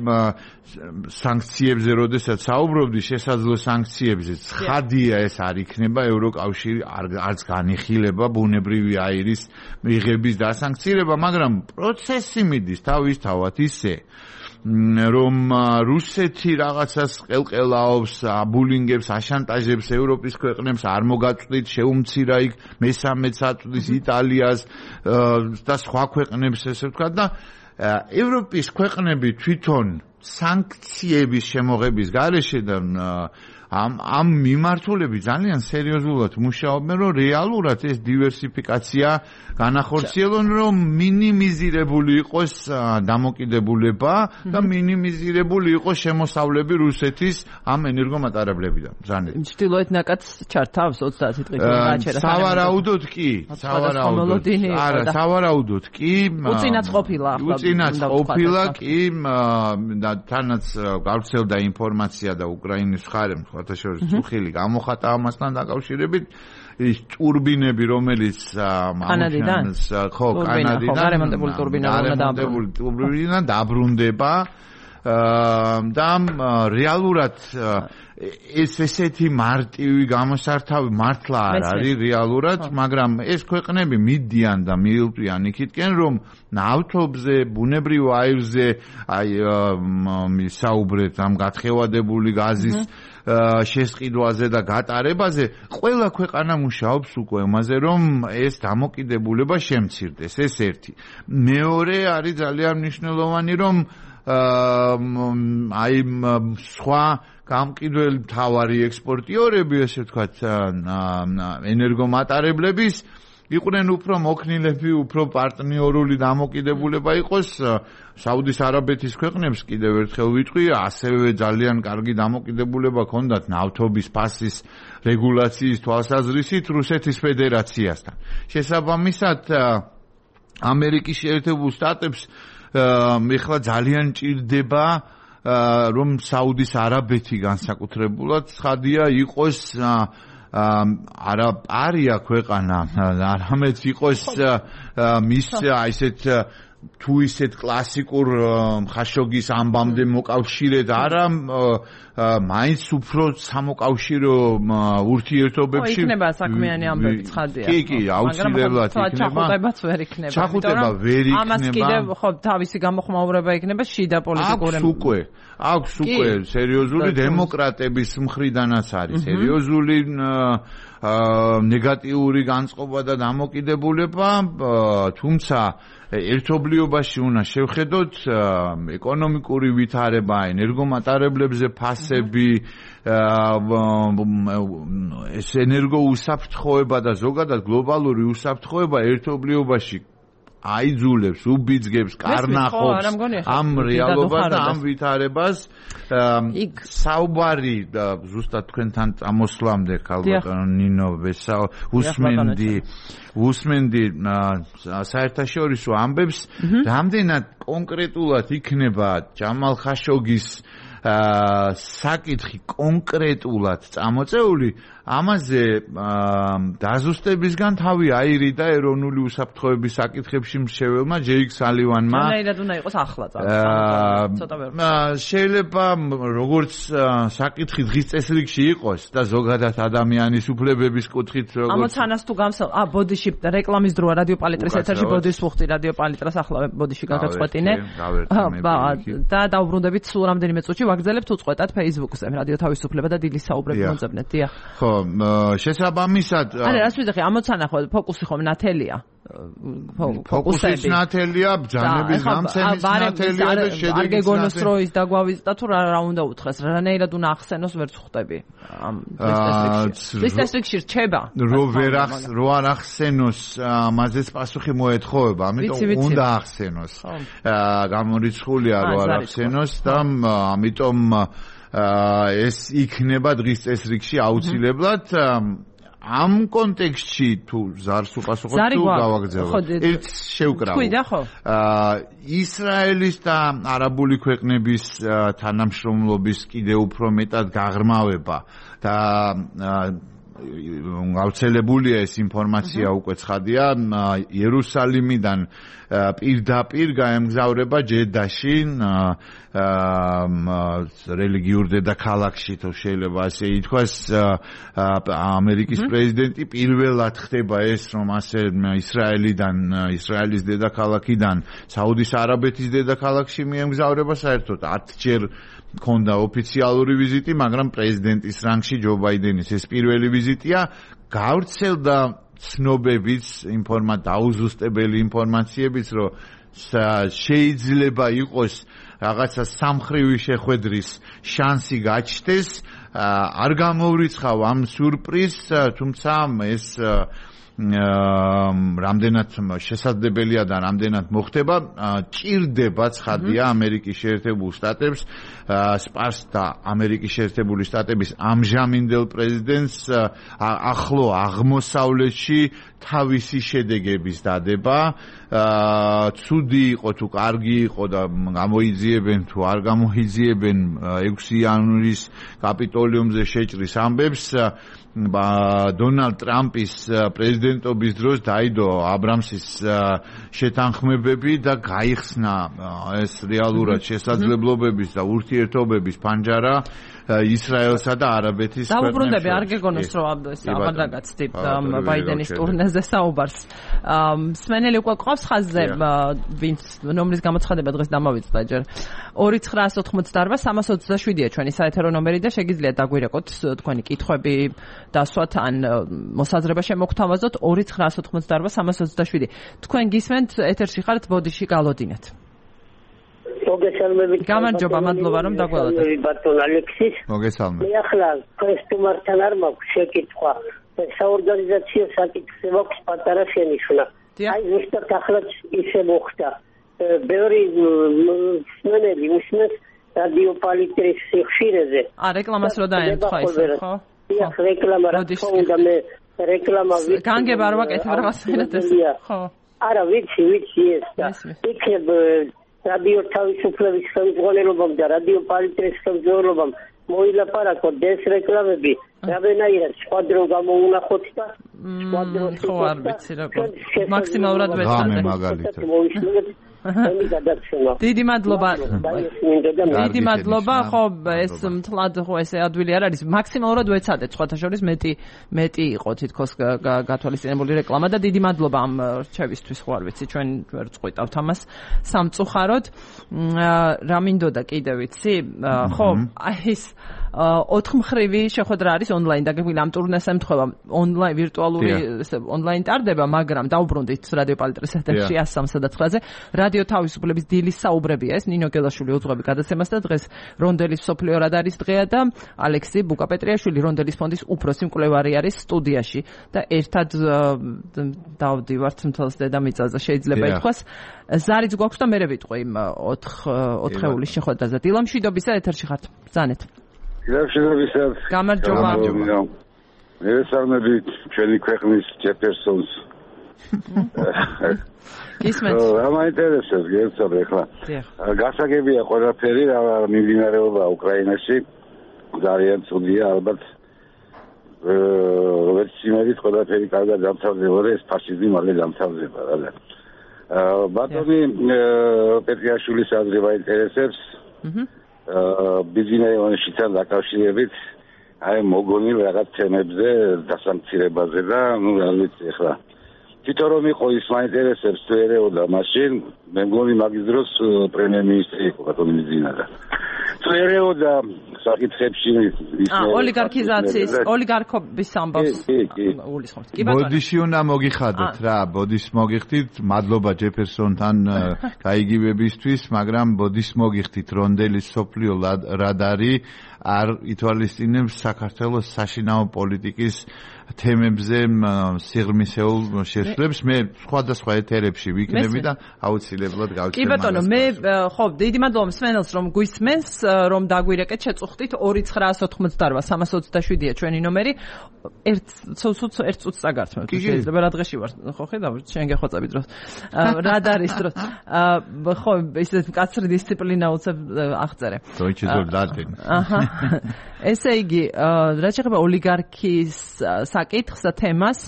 სანქციებზე როდესაც საუბრობდი, შესაძლო სანქციებზე, ცხადია ეს არ იქნება ევროკავშირი არც განიხილება ბუნებრივი აირის მიღების დასანქცირება, მაგრამ პროცესი მიდის თავისთავად ისე, რომ რუსეთი რაღაცას ყელყელაობს, აბულინგებს, აშანტაჟებს ევროპის ქვეყნებს, არ მოგაწვდით, შეუმცირა იქ მესამეც აწვდის იტალიას და სხვა ქვეყნებს, ესე ვთქვათ და ევროპის ქვეყნები თვითონ სანქციების შემოღების გარეშე და ამ ამ მიმართულებით ძალიან სერიოზულად მუშაობენ, რომ რეალურად ეს დივერსიფიკაცია განახორციელონ, რომ მინიმიზირებული იყოს დამოკიდებულება და მინიმიზირებული იყოს შემოსავლები რუსეთის ამ ენერგომატარებლებიდან. ბრძანეთ. ჩრდილოეთ ნაკადს ჩართავს ოცდაათი დღით გააჩერა. სავარაუდოდ კი, სავარაუდოდ. არა, სავარაუდოდ კი. უწინაც ყოფილა ახლა. უწინაც ყოფილა კი და თანაც გავრცელდა ინფორმაცია და უკრაინის მხარემ შორის უხილი გამოხატა ამასთან დაკავშირებით ის ტურბინები, რომელიც კანადიდან ხო, კანადიდან გარემონტებული ტურბინა დაბრუნდება და რეალურად ეს ესეთი მარტივი გამოსართავი მართლა არ არის რეალურად, მაგრამ ეს ქვეყნები მიდიან და მიილპიან იქითკენ, რომ ნავთობზე, ბუნებრივ აირზე, აი საუბრეთ ამ გათხევადებული გაზის შესყიდვაზე და გატარებაზე, ყველა ქვეყანა მუშაობს უკვე ამაზე, რომ ეს დამოკიდებულება შემცირდეს. ეს ერთი. მეორე არის ძალიან მნიშვნელოვანი, რომ აი სხვა გამყიდველი მთავარი ექსპორტიორები, ესე ვთქვათ, ენერგომატარებლების იყვნენ უფრო მოქნილები, უფრო პარტნიორული დამოკიდებულება იყოს. საუდის არაბეთის ქვეყნებს კიდევ ერთხელ ვიტყვი, ასევე ძალიან კარგი დამოკიდებულება ჰქონდათ ნავთობის ფასის რეგულაციის თვალსაზრისით რუსეთის ფედერაციასთან. შესაბამისად, ამერიკის შეერთებულ შტატებს ეხლა ძალიან ჭირდება, რომ საუდის არაბეთი განსაკუთრებულად ცხადია იყოს არა პარია ქვეყანა, არამედ იყოს მის ისეთ თუ ისეთ კლასიკურ ხაშოგის ამბამდე მოკავშირედ არა მაინც უფრო სამოკავშირო ურთიერთობებში იქნება საქმიანი ამბები ცხადია. კი, კი, აუცილებლად იქნება. ჩახუტებაც ვერ იქნება. ჩახუტება ვერ იქნება. ამას კიდევ ხო თავისი გამოხმაურება იქნება შიდა პოლიტიკური. აქვს უკვე, აქვს უკვე სერიოზული დემოკრატების მხრიდანაც არის სერიოზული ნეგატიური განწყობა და დამოკიდებულება, თუმცა ერთობლიობაში უნდა შევხედოთ ეკონომიკური ვითარება, ენერგომატარებლებზე ფასები, ეს ენერგოუსაფრთხოება და ზოგადად გლობალური უსაფრთხოება ერთობლიობაში აიძულებს, უბიძგებს, კარნახობს ამ რეალობას და ამ ვითარებას. საუბარი ზუსტად თქვენთან წამოსვლამდე ქალბატონო ნინო უსმენდი უსმენდი საერთაშორისო ამბებს, რამდენად კონკრეტულად იქნება ჯამალ ხაშოგის საკითხი კონკრეტულად წამოწეული, ამაზე დაზუსტებისგან თავი აირიდა ეროვნული უსაფრთხოების საკითხებში მრჩეველმა ჯეიკ სალივანმა. რანაირად უნდა იყოს ახლა ცოტა ვერ. შეიძლება როგორც საკითხი დღის წესრიგში იყოს და ზოგადად ადამიანის უფლებების კუთხით როგორც ამოცანას თუ გამსალ ა ბოდიში რეკლამის დროა რადიო პალიტრის ეთერში ბოდის ვუხდი რადიო პალიტრას ახლა ბოდიში გაგაწყვეტინე. და დაუბრუნდებით სულ რამდენიმე წუთში ვაგრძელებთ უწყვეტად Facebook-ზე რადიო თავისუფლება და დილის საუბრები მომძებნეთ. დიახ. ხო, შესაბამისად არა რას ვიზახი ამოცანა ხო ფოკუსი ხომ ნათელია ფოკუსის ნათელია ბრძანების გამცემის ნათელია და შედეგის არგეგონოს როის დაგვავიზიტა თუ რა უნდა უთხრეს რანაირად უნდა ახსენოს ვერც ხვდები ამ ეს ტესტში რჩება რო ვერ ახს რო არ ახსენოს მაზეც პასუხი მოეთხოვება ამიტომ უნდა ახსენოს გამორიცხულია რო არ ახსენოს და ამიტომ ეს იქნება დღის წესრიგში აუცილებლად ამ კონტექსტში თუ ზარს უპასუხოთ თუ გავაგრძელოთ ერთ შევკრავო ისრაელის და არაბული ქვეყნების თანამშრომლობის კიდევ უფრო მეტად გაღრმავება და გავრცელებულია ეს ინფორმაცია უკვე ცხადია იერუსალიმიდან პირდაპირ გაემგზავრება ჯედაში რელიგიურ დედაქალაქში თუ შეიძლება ასე ითქვას ამერიკის პრეზიდენტი პირველად ხდება ეს რომ ასე ისრაელიდან ისრაელის დედაქალაქიდან საუდის არაბეთის დედაქალაქში მიემგზავრება საერთოდ ათჯერ ქონდა ოფიციალური ვიზიტი, მაგრამ პრეზიდენტის რანგში ჯო ბაიდენის ეს პირველი ვიზიტია, გავრცელდა ცნობებიც, ინფორმა დაუზუსტებელი ინფორმაციებიც, რომ შეიძლება იყოს რაღაცა სამხრივი შეხვედრის შანსი გაჩნდეს, არ გამოვრიცხავ ამ სიურპრიზს, თუმცა ეს რამდენად შესაძლებელია და რამდენად მოხდება ჭირდება ცხადია ამერიკის შეერთებულ შტატებს სპარს და ამერიკის შეერთებული შტატების ამჟამინდელ პრეზიდენტს ახლო აღმოსავლეთში თავისი შედეგების დადება ცუდი იყო თუ კარგი იყო და გამოიძიებენ თუ არ გამოიძიებენ ექვსი იანვრის კაპიტოლიუმზე შეჭრის ამბებს დონალდ ტრამპის პრეზიდენტობის დროს დაიდო აბრამსის შეთანხმებები და გაიხსნა ეს რეალურად შესაძლებლობების და ურთიერთობების ფანჯარა ისრაელსა და არაბეთის ქვეყნებს. დაუბრუნდები არ გეგონოს რომ ეს აღარ დაგაცდით ბაიდენის ტურნეზე საუბარს. სმენელი უკვე ყავს ხაზზე ვინც ნომრის გამოცხადება დღეს დამავიწყდა ჯერ ორი ცხრაას ოთხმოცდაარბა სამას ოცდაშვიდია ჩვენი საეთერო ნომერი და შეგიძლიათ დაგვირეკოთ თქვენი კითხვები დასვათ ან მოსაზრება შემოგთავაზოთ ორი ცხრაას ოთხმოცდაარბა სამას ოცდაშვიდი. თქვენ გისმენთ ეთერში ხართ ბოდიში გალოდინეთ. მოგესალმებით. გამარჯობა, მადლობა რომ დაგველოდეთ. ბატონ ალექსის. მოგესალმებით. მე ახლა ქრისტუმართან არ მაქვს შეკითხვა. საორგანიზაციო საკითხზე მაქვს პატარა შენიშვნა. აი ზუსტად ახლა ისე მოხდა. ბევრი სმენელი უსმენს რადიო პალიტრის სიხშირეზე. ა რეკლამას რო დაემთხვა ისე, ხო? დიახ, რეკლამა რა თქმა მე რეკლამა ვიცი. განგება არ ვაკეთებ რაღაც ენათეს. ხო. არა, ვიცი, ვიცი ეს და იქნებ რადიო თავისუფლების ხელმძღვანელობამ და რადიო პალიტრის ხელმძღვანელობამ მოილაპარაკოთ ეს რეკლამები რაბენაირად სხვა დრო გამოუნახოთ და სხვა დრო ხო არ ვიცი როგორ მაქსიმალურად ვეცადე მені გადაცემა. დიდი მადლობა. დიდი მადლობა, ხო, ეს მთლად ხო ესე ადვილი არ არის. მაქსიმალურად ვეცადეთ, სხვათა შორის მეტი მეტი იყო თითქოს გათვალისწინებული რეკლამა და დიდი მადლობა ამ რჩევისთვის, ხო არ ვიცი, ჩვენ ვერ წყვიტავთ ამას სამწუხაროდ. რა მინდოდა კიდე ვიცი? ხო, აი ეს ოთხმხრივი შეხვედრა არის ონლაინ დაგეგმილი ამ ტურნეს ემთხვევა ონლაინ ვირტუალური ონლაინ ტარდება, მაგრამ დაუბრუნდით რადიო პალიტრის ეთერში one oh three და nine-ზე რადიო თავისუფლების დილის საუბრებია ეს ნინო გელაშვილი უძღვები გადაცემას და დღეს რონდელის სოფლიო რადარის დღეა და ალექსი ბუკაპეტრიაშვილი რონდელის ფონდის უფროსი მკვლევარი არის სტუდიაში და ერთად დავდივართ მთელს დედამიწაზე შეიძლება ითქვას ზარიც გვაქვს და მე ვიტყვი იმ ოთხეულის შეხვედრაზე დილა მშვიდობისა ეთერში ხართ ბრძანეთ მშვიდობისა გამარჯობა მე ვესალმები ჩვენი ქვეყნის ჯეფერსონს ისმენთ რა მაინტერესებს გეცნობ ახლა გასაგებია ყველაფერი რა მიმდინარეობა უკრაინაში ძალიან ცუდია ალბათ როგორც იმედით ყველაფერი კარგად დამთავრდება ეს ფაშიზმი მალე დამთავრდება რა ბატონი პეტრიაშვილის აზრი მაინტერესებს ბიზნესთან დაკავშირებით აი მოგონილ რაღაც თემებზე დასამცირებაზე და ნუ რა ვიცი ახლა თვითონ რომ იყო ის მაინტერესებს თუ ერეოდა მაშინ მე მგონი მაგის დროს პრემიერ-მინისტრი იყო ბატონი მიზინადა თუ ერეოდა საკითხებში ის ოლიგარქიზაციის ოლიგარქობის ამბავს უგულისხმობთ კი ბატონო ბოდიში უნდა მოგიხადოთ რა ბოდის მოგიხდით მადლობა ჯეფერსონთან გაიგივებისთვის მაგრამ ბოდის მოგიხდით რონდელის სოფლიო რადარი არ ითვალისწინებს საქართველოს საშინაო პოლიტიკის თემებზე სიღრმისეულ შესრულებს მე სხვადასხვა ეთერებში ვიქნები და აუცილებლად გავჩერდები. კი ბატონო, მე ხო, დიდი მადლობა მსმენელს რომ გვისმენს, რომ დაგვირეკეთ შეწუხდით two nine eight eight three twenty-seven ჩვენი ნომერი. ერთ ცოტა ერთ წუთს წაგართმევთ. შეიძლება რა დღეში ვარ, ხო ხედავ, შენ გეხვაწები დროს. რა არის დროს? ხო, ისეთ მკაცრი დისციპლინა უცებ აღწერე. დოიჩე ზოლდატენ. აჰა. ესე იგი, რა შეიძლება ოლიგარქიის საკითხს და თემას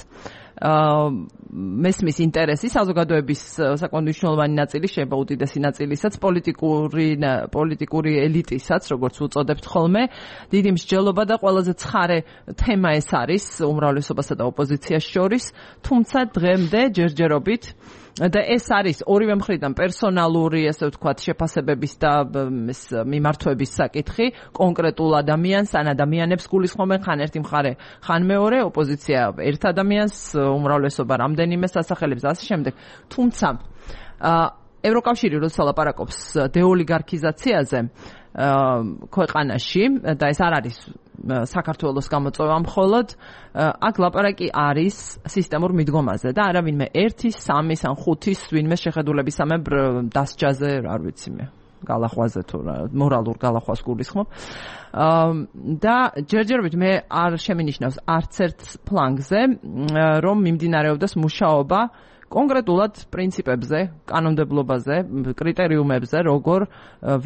მესმის ინტერესი საზოგადოების საკმაოდ მნიშვნელოვანი ნაწილი შეიძლება უდიდესი ნაწილისაც პოლიტიკური პოლიტიკური ელიტისაც როგორც უწოდებთ ხოლმე დიდი მსჯელობა და ყველაზე ცხარე თემა ეს არის უმრავლესობასა და ოპოზიციას შორის თუმცა დღემდე ჯერჯერობით და ეს არის ორივე მხრიდან პერსონალური, ასე ვთქვათ, შეფასებების და მიმართვების საკითხი, კონკრეტულ ადამიანს, ან ადამიანებს გულისხმობენ ხან ერთი მხარე, ხან მეორე, ოპოზიცია ერთ ადამიანს, უმრავლესობა რამდენიმე სასახელებს ასე შემდეგ. თუმცა ევროკავშირი როცა ლაპარაკობს დეოლიგარქიზაციაზე ქვეყანაში და ეს არ არის საქართველოს გამოწვევა მხოლოდ აქ ლაპარაკი არის სისტემურ მიდგომაზე და არავინმე ერთის, სამის ან ხუთის ვინმე შეხედულებისამებრ დასჯაზე, არ ვიცი მე, გალახვაზე თუ მორალურ გალახვას გულისხმობ. და ჯერჯერობით მე არ შემინიშნავს არც ერთ ფლანგზე, რომ მიმდინარეობდეს მუშაობა კონკრეტულად პრინციპებზე, კანონმდებლობაზე, კრიტერიუმებზე, როგორ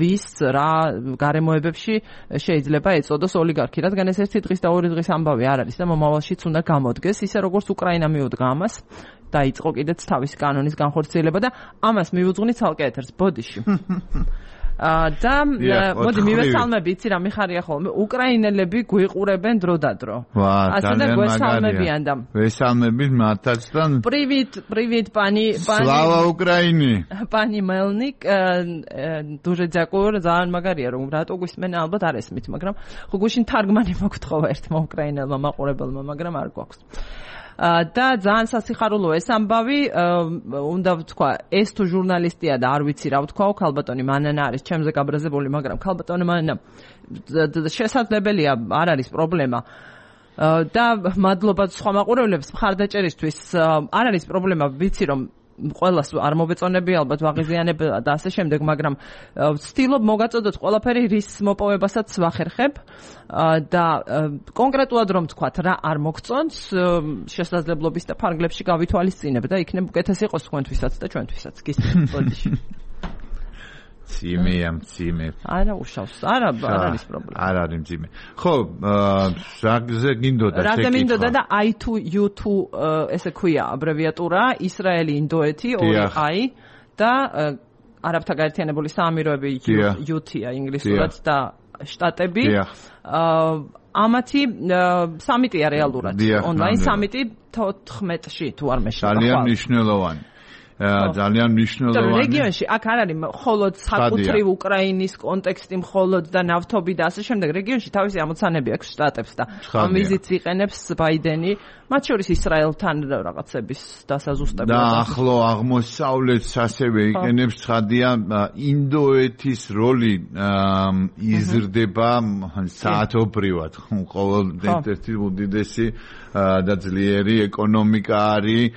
ვის რა გარემოებებში შეიძლება ეწოდოს ოლიგარქი, რადგან ეს ერთი დღის და ორი დღის ამბავი არ არის და მომავალშიც უნდა გამოდგეს, ისე როგორც უკრაინა მიუდგა ამას, დაიწყო კიდეც თავისი კანონის განხორციელება და ამას მივუძღვნი ცალკე ეთერს ბოდიში. და მოდი მივესალმები, იცი რა მიხარია ხოლმე, უკრაინელები გვიყურებენ დრო და დრო. ასე და გვესალმებიან და ვესალმებით მათაც და Привет, привет, пани, пани. Слава Украине. Пани Мелник, дуже дякую, ძალიან მაგარია რომ რატო გვისმენ ალბათ არ ესმით, მაგრამ ხო გუშინ თარგმანი მოგთხოვა ერთმა უკრაინელმა მაყურებელმა, მაგრამ არ გვაქვს. და ძალიან სასიხარულო ეს ამბავი, უნდა ვთქვა, ეს თუ ჟურნალისტია და არ ვიცი რა ვთქვაო, ქალბატონი მანანა არის ჩემზე გაბრაზებული, მაგრამ ქალბატონი მანანა შესაძლებელია, არ არის პრობლემა. და მადლობა სხვა მაყურებლებს მხარდაჭერისთვის, არ არის პრობლემა, ვიცი რომ ყველას არ მობეწონები ალბათ ვაღიზიანებ და ასე შემდეგ, მაგრამ ვცდილობ მოგაწოდოთ ყველაფერი რის მოპოვებასაც ვახერხებ და კონკრეტულად რომ თქვათ რა არ მოგწონს შესაძლებლობის და ფარგლებში გავითვალისწინებ და იქნებ უკეთესი იყოს თქვენთვისაც და ჩვენთვისაც. გისმენთ ბოდიში. მძიმე ამ მძიმე. არა უშავს, არა არ არის პრობლემა. არ არის მძიმე. ხო, რაზე გინდოდა შეკითხვა? რაზე მინდოდა და I two U two ესე ქვია აბრევიატურა, ისრაელი ინდოეთი, ორი I და არაბთა გაერთიანებული საამიროები იუთია ინგლისურად და შტატები ამათი სამიტია რეალურად ონლაინ სამიტი თოთხმეტში თუ არ მეშლება ძალიან მნიშვნელოვანი ძალიან მნიშვნელოვანი რეგიონში აქ არ არის მხოლოდ საკუთრივ უკრაინის კონტექსტი მხოლოდ და ნავთობი და ასე შემდეგ რეგიონში თავისი ამოცანები აქვს შტატებს და ამ ვიზიტს იყენებს ბაიდენი მათ შორის ისრაელთან რაღაცების დასაზუსტებლად და ახლო აღმოსავლეთს ასევე იყენებს ცხადია ინდოეთის როლი იზრდება საათობრივად ყოველ ერთ-ერთი უდიდესი და ძლიერი ეკონომიკა არის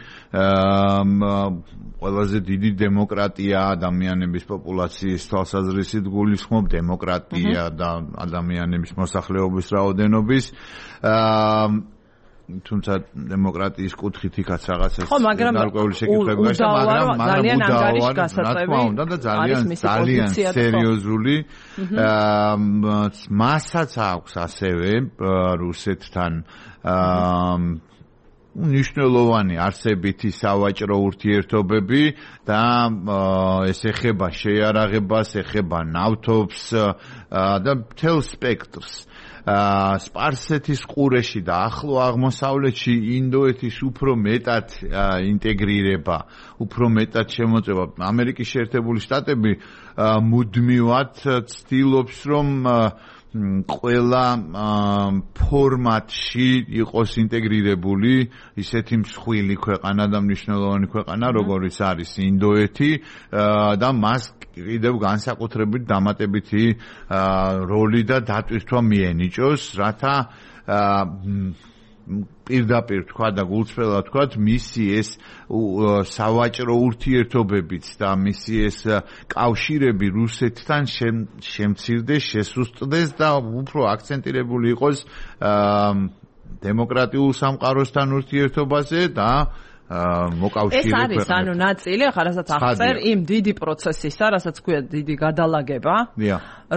ყველაზე დიდი დემოკრატია ადამიანების პოპულაციის თვალსაზრისით გულისხმობ დემოკრატია და ადამიანების მოსახლეობის რაოდენობის თუმცა დემოკრატიის კუთხით იქაც რაღაცას გარკვეული შეკითხვები გაჩნდა მაგრამ ძალიან ანგარიში გასაწევი და ძალიან ძალიან სერიოზული მასაც აქვს ასევე რუსეთთან ნიშნულოვანი არსებითი სავაჭრო ურთიერთობები და ეს ეხება შეიარაღებას, ეხება ნავთობს და მთელ სპექტრს. სპარსეთის ყურეში და ახლო აღმოსავლეთში ინდოეთის უფრო მეტად ინტეგრირება, უფრო მეტად შემოწება. ამერიკის შეერთებული შტატები მუდმივად ცდილობს რომ ყველა ფორმატში იყოს ინტეგრირებული ისეთი მსხვილი ქვეყანა და მნიშვნელოვანი ქვეყანა როგორიც არის ინდოეთი და მას კიდევ განსაკუთრებით დამატებითი როლი და დატვირთვა მიენიჭოს რათა პირდაპირ თქვა და გულწრფელად თქვა მისი ეს სავაჭრო ურთიერთობებიც და მისი ეს კავშირები რუსეთთან შემცირდეს, შესუსტდეს და უფრო აქცენტირებული იყოს დემოკრატიულ სამყაროსთან ურთიერთობაზე და მოკავშირე ქვეყნებთან. ეს არის ანუ ნაწილი, ახლა რასაც აღწერ იმ დიდი პროცესისა, რასაც ქვია დიდი გადალაგება,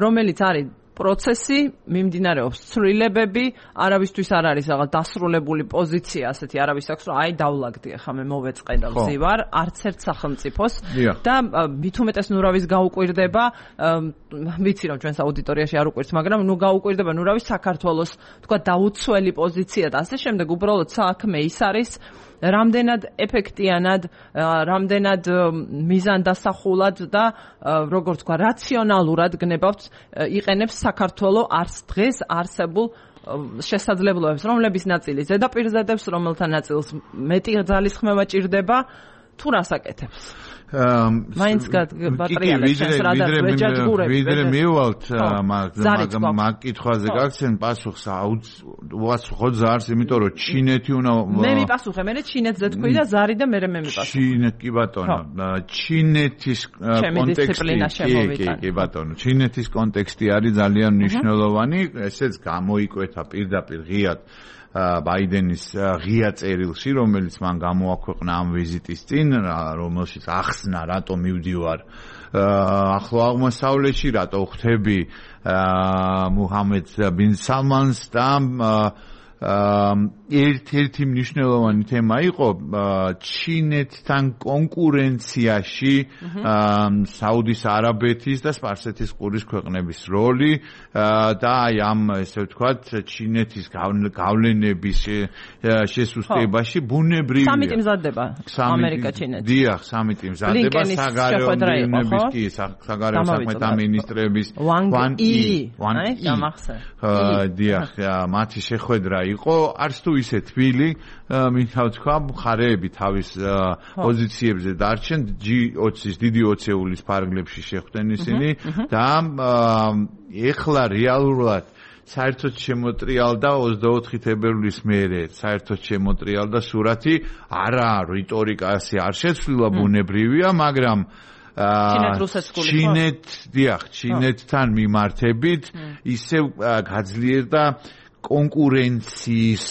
რომელიც არის პროცესი მიმდინარეობს ცვლილებები, არავისთვის არ არის რაღაც დასრულებული პოზიცია, ასეთი არავის აქვს, რომ აი დავლაგდი, ახლა მე მოვეწყე და ვზივარ, არც ერთ სახელმწიფოს და მით უმეტეს ნურავის გაუკვირდება, ვიცი რომ ჩვენს აუდიტორიაში არ უკვირს, მაგრამ ნუ გაუკვირდება ნურავის საქართველოს, თქვა დაუცველი პოზიცია და ასე შემდეგ, უბრალოდ საქმე ის არის რამდენად ეფექტიანად, რამდენად მიზანდასახულად და როგორც თქვა რაციონალურად გნებავთ იყენებს საქართველოს არც დღეს არსებულ შესაძლებლობებს, რომლების ნაწილი ზედაპირზე დებს, რომელთა ნაწილს მეტი ძალისხმევა ჭირდება, თუ რას აკეთებს? მაინც გატრიალებს შენს რადარს ვეჯაჯგურები ვიდრე მივალთ მაგ კითხვაზე გაგცენ პასუხს უაცხოვ ზარს იმიტომ რომ ჩინეთი უნდა მე მიპასუხე მე ჩინეთზე თქვი და ზარი და მე მე მიპასუხე ჩინეთ კი ბატონო ჩინეთის კონტექსტი კი ბატონო ჩინეთის კონტექსტი არის ძალიან მნიშვნელოვანი ესეც გამოიკვეთა პირდაპირ ღიად ბაიდენის ღია წერილში, რომელიც მან გამოაქვეყნა ამ ვიზიტის წინ, რომელშიც ახსნა, რატომ მივდივარ ახლო აღმოსავლეთში, რატო ხვდები მუჰამედ ბინ სალმანს და ერთ-ერთი მნიშვნელოვანი თემა იყო ჩინეთთან კონკურენციაში საუდის არაბეთის და სპარსეთის ყურის ქვეყნების როლი და აი ამ ესე ვთქვათ ჩინეთის გავლენების შესუსტებაში ბუნებრივია სამიტი მზადდება ამერიკა-ჩინეთი. დიახ, სამიტი მზადდება საგარეო მინისტრების კი საგარეო საქმეთა მინისტრების ვან ი დიახ, მათი შეხვედრა იყო არც თუ ისე თბილი, მინდა ვთქვა, მხარეები თავის პოზიციებზე დარჩენ ჯი ოცის დიდი ოცეულის ფარგლებში შეხვდნენ ისინი და ეხლა რეალურად საერთოდ შემოტრიალდა ოცდაოთხი თებერვლის მერე საერთოდ შემოტრიალდა სურათი არა რიტორიკაში არ შეცვლილა ბუნებრივია მაგრამ ჩინეთ დიახ ჩინეთთან მიმართებით ისევ გაძლიერდა კონკურენციის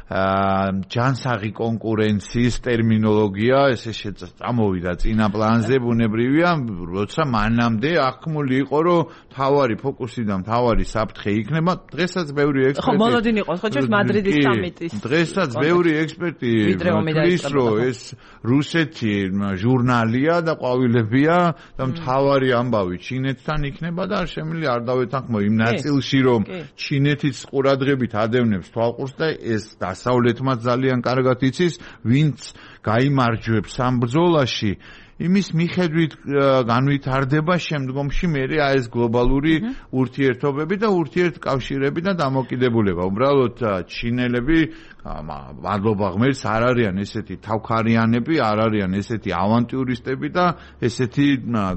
ჯანსაღი კონკურენციის ტერმინოლოგია ესე წამოვიდა წინა პლანზე ბუნებრივია, როცა მანამდე აღქმული იყო, რომ თავარი ფოკუსი და თავარი საფრთხე იქნება. დღესაც ბევრი ექსპერტი ხო, მოლოდინი იყო, ხო, ჩვენს მადრიდის სამიტის. დღესაც ბევრი ექსპერტი თვლის, რომ ეს რუსეთი ჟურნალია და ყვავილებია და მთავარი ამბავი ჩინეთთან იქნება და არ შემიძლია არ დავეთანხმო იმ ნაწილში, რომ ჩინეთის ყურადღებით ადევნებს თვალყურს და ეს დასავლეთმაც ძალიან კარგად იცის, ვინც გაიმარჯვებს ამ ბრძოლაში, იმის მიხედვით განვითარდება შემდგომში მერე ეს გლობალური ურთიერთობები და ურთიერთკავშირები და დამოკიდებულება. უბრალოდ ჩინელები მადლობა ღმერთს არ არიან ესეთი თავქარიანები, არ არიან ესეთი ავანტიურისტები და ესეთი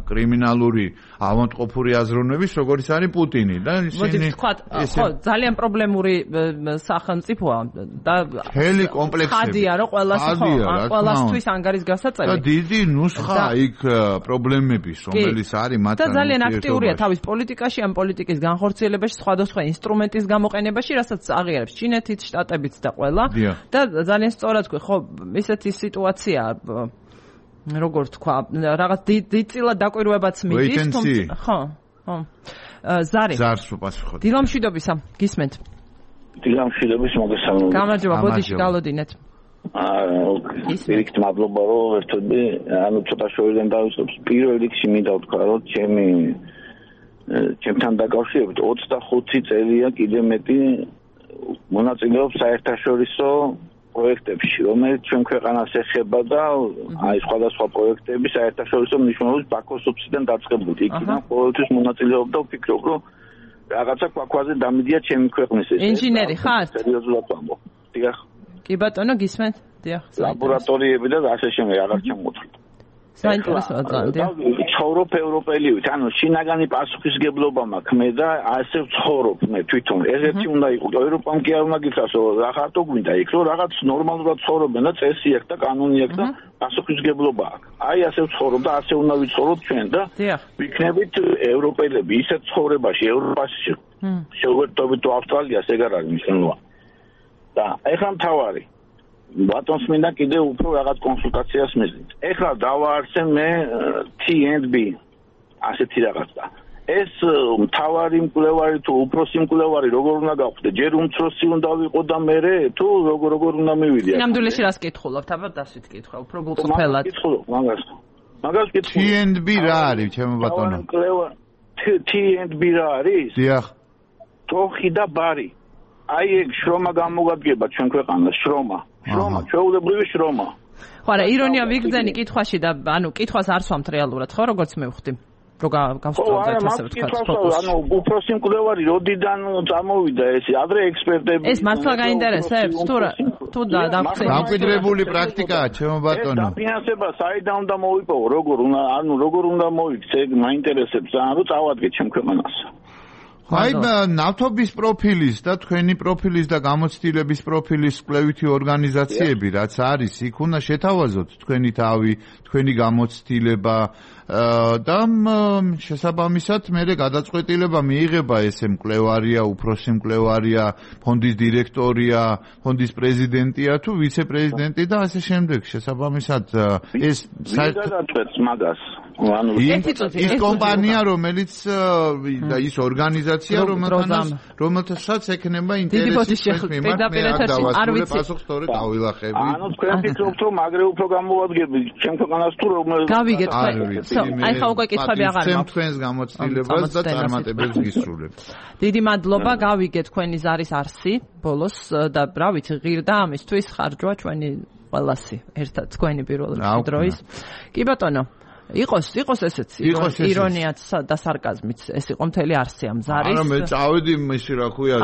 კრიმინალური ავანტყოფური აზროვნების, როგორც არის პუტინი და ისინი ხო ძალიან პრობლემური სახელმწიფოა და მთელი კომპლექსები ხადია რომ ყველას ხო ყველასთვის ანგარის გასაწევი და დიდი ნუსხა იქ პრობლემების რომელიც არის მათთან და ძალიან აქტიურია თავის პოლიტიკაში, ამ პოლიტიკის განხორციელებაში, სხვადასხვა ინსტრუმენტის გამოყენებაში, რასაც აღიარებს ჩინეთიც, შტატებიც და ყველა და ძალიან სწორად თქვი, ხო, ისეთი სიტუაცია როგორ თქვა, რაღაც დიდწილად დაკვირვებაც მიდის, თუმცა ხო, ხო. ზარი. ზარს უპასუხოთ. დილამშვიდობისა, გისმენთ. დილამშვიდობის მოგესალმებით. გამარჯობა, ბოდიში გალოდინეთ. აა, ისეთ მადლობა რომ ერთობი, ანუ ცოტა შორიდან დავიწყებ. პირველ რიგში მინდა ვთქვა, რომ ჩემი ჩემთან დაკავშირებით ოცდახუთი წელია კიდე მეტი მონაწილეობს საერთაშორისო პროექტებში, რომელიც ჩვენ ქვეყანას ეხება და აი სხვადასხვა პროექტები საერთაშორისო მნიშვნელობის ბაქოს ოფისიდან დაწყებული. იქიდან ყოველთვის მონაწილეობდა და ვფიქრობ, რომ რაღაცა ქვაქვაზე დამიდია ჩემი ქვეყნის ეს. ინჟინერი ხარ? სერიოზულად ვამბობ. დიახ. კი ბატონო, გისმენთ? დიახ. ლაბორატორიები და ასე შემდეგ აღარ ჩამოთვლით. საინტერესოა ძალიან. ცხოვრობ ევროპელივით, ანუ შინაგანი პასუხისგებლობა მაქვს მე და ასე ვცხოვრობ მე თვითონ. ესეთი უნდა იყოს. ევროპამ კი არ უნდა გითხრას, რომ რა ხარტო გვინდა იქ, რომ რაღაც ნორმალურად ცხოვრობენ და წესი აქვს და კანონი აქვს და პასუხისგებლობა აქვს. აი ასე ვცხოვრობ და ასე უნდა ვიცხოვროთ ჩვენ და ვიქნებით ევროპელები ისეთ ცხოვრებაში, ევროპაში. შეგვერთობით ავსტრალიას ეგ არ არის მნიშვნელოვანი. და ეხლა მთავარი ბატონს მინდა კიდე უფრო რაღაც კონსულტაციას მისდით. ეხლა დავაარსე მე T and B ასეთი რაღაცა. ეს მთავარი მკვლევარი თუ უფროსი მკვლევარი როგორ უნდა გავხდე? ჯერ უმცროსი უნდა ვიყო და მე თუ როგორ როგორ უნდა მივიდე? სინამდვილეში რას კითხულობთ? აბა დასვით კითხვა, უფრო გულწრფელად. კითხულობ მაგას. მაგას კითხულობ. T and B რა არის, ჩემო ბატონო? T and B რა არის? დიახ. თოხი და ბარი. აი ეგ შრომა გამოგადგება ჩვენ ქვეყანას, შრომა. შრომა, ჩვეულებრივი შრომა. ხო, არა, ირონია ვიგრძენი კითხვაში და ანუ კითხვას არ სვამთ რეალურად, ხო, როგორც მე ვხვდი. რო გავსწავლეთ ასე ვთქვათ. ანუ უფროსი მკვლევარი როდიდან წამოვიდა ეს, ადრე ექსპერტები. ეს მართლა გაინტერესებს? თუ თუ დაგხვდები. დამკვიდრებული პრაქტიკაა, ჩემო ბატონო. ეს დაფინანსება საიდან უნდა მოიპოვო, როგორ უნდა, ანუ როგორ უნდა მოიქცე, მაინტერესებს, ანუ წავადგეთ ჩემ ქვეყანას. აი ნავთობის პროფილის და თქვენი პროფილის და გამოცდილების პროფილის კვლევითი ორგანიზაციები რაც არის, იქ უნდა შეთავაზოთ თქვენი თავი, თქვენი გამოცდილება და შესაბამისად მერე გადაწყვეტილება მიიღება ესე მკვლევარია, უფროსი მკვლევარია, ფონდის დირექტორია, ფონდის პრეზიდენტია თუ ვიცე-პრეზიდენტი და ასე შემდეგ. შესაბამისად ეს გადაწყვეტს მაგას. ანუ ის კომპანია, რომელიც და ის ორგანიზაცია, რომელთანაც რომელთაც ექნება ინტერესის მიმართ მე არ დავასრულებ სწორედ ავილახები. ანუ თქვენ ფიქრობთ, რომ აგრე უფრო გამოვადგებით ჩემ ქვეყანას თუ რომელ გავიგეთ აი ხა უკვე კითხები აღარ მაქვს. თქვენს გამოცდილებას და წარმატებებს გისურვებ. დიდი მადლობა, გავიგეთ თქვენი ზარის არსი ბოლოს და რა ვიცი, ღირდა ამისთვის ხარჯვა ჩვენი ყველასი ერთად თქვენი პირველ დროის. კი ბატონო, იყოს იყოს ესეც ირონიაც და სარკაზმიც ეს იყო მთელი არსი ამ ზარის. არა მე წავედი ისე რა ქვია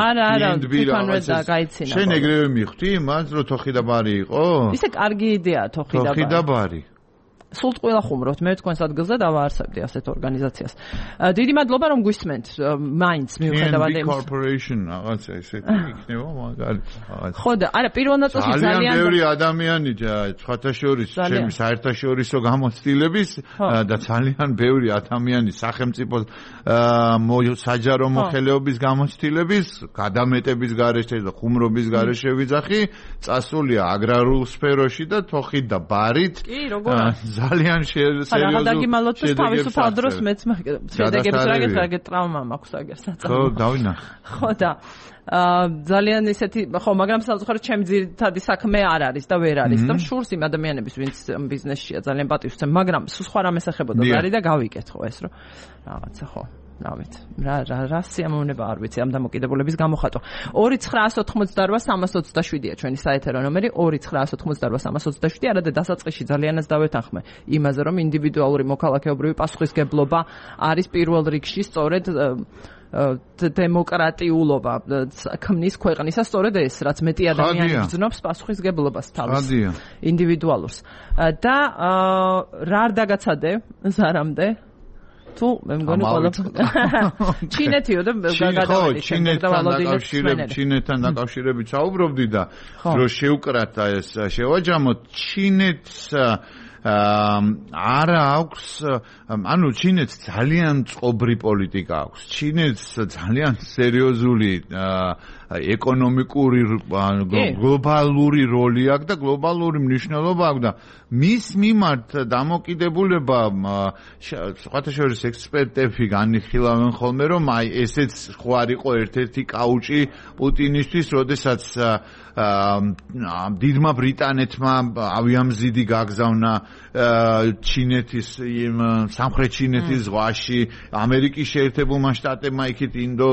გაიცინა. შენ ეგრევე მიხვდი მას რომ თოხი და ბარი იყო? ისე კარგი იდეაა თოხი და ბარი. თოხი და ბარი. სულ ყველა ხუმრობთ. მე თქვენს ადგილზე დავაარსებდი ასეთ ორგანიზაციას. დიდი მადლობა რომ გვისმენთ მაინც მიუხედავად იმის corporation რაღაცა ესეთი იქნება მაგალითად. ხო და არა პირველ ნაწილში ძალიან ძალიან ბევრი ადამიანი სხვათა შორის ჩემი საერთაშორისო გამოცდილების და ძალიან ბევრი ადამიანი სახელმწიფო საჯარო მოხელეობის გამოცდილების გადამეტების გარეშე და ხუმრობის გარეშე ვიძახი წასულია აგრარულ სფეროში და თოხით და ბარით ძალიან სერიოზული რა დაგიმალოთ თავისუფალ დროს მეც შედეგებს რა გეთრაგე ტრავმა მაქვს აგერ საწამო ხო დავინახე ხო და ძალიან ისეთი ხო მაგრამ სამწუხაროდ ჩემი ძირითადი საქმე არ არის და ვერ არის და მშურს იმ ადამიანების ვინც ბიზნესშია ძალიან პატივს ვცემ მაგრამ სხვა რამეს ეხებოდა არის და გავიკეთ ხო ეს რომ რაღაცა ხო რავით რა რა რა სიამოვნება არ ვიცი ამ დამოკიდებულების გამოხატვა ორი ცხრაას ოთხმოცდაოთხ სამას ოცდაშვიდია ჩვენი საეთერო ნომერი ორი ცხრაას ოთხმოცდაოთხ სამას ოცდაშვიდი არადა დასაწყისში ძალიანაც დავეთანხმე იმაზე რომ ინდივიდუალური მოქალაქეობრივი პასუხისგებლობა არის პირველ რიგში სწორედ დემოკრატიულობა ქმნის ქვეყნისა სწორედ ეს რაც მეტი ადამიანი გრძნობს პასუხისგებლობას თავს ინდივიდუალურს და რა არ დაგაცადე ზარამდე თუ მე მგონი ყველაფერი ჩინეთიო და გადავედი ჩინეთთან დაკავშირებით საუბრობდი და რომ შევკრათ ეს შევაჯამოთ ჩინეთს არა აქვს ანუ ჩინეთს ძალიან წყობრი პოლიტიკა აქვს ჩინეთს ძალიან სერიოზული ეკონომიკური გლობალური როლი აქვს და გლობალური მნიშვნელობა აქვს და მის მიმართ დამოკიდებულება სხვათა შორის ექსპერტები განიხილავენ ხოლმე რომ აი ესეც ხო არ იყო ერთ-ერთი კაუჭი პუტინისთვის როდესაც დიდმა ბრიტანეთმა ავიამზიდი გაგზავნა ჩინეთის სამხრეთ ჩინეთის ზღვაში ამერიკის შეერთებულმა შტატებმა იქით ინდო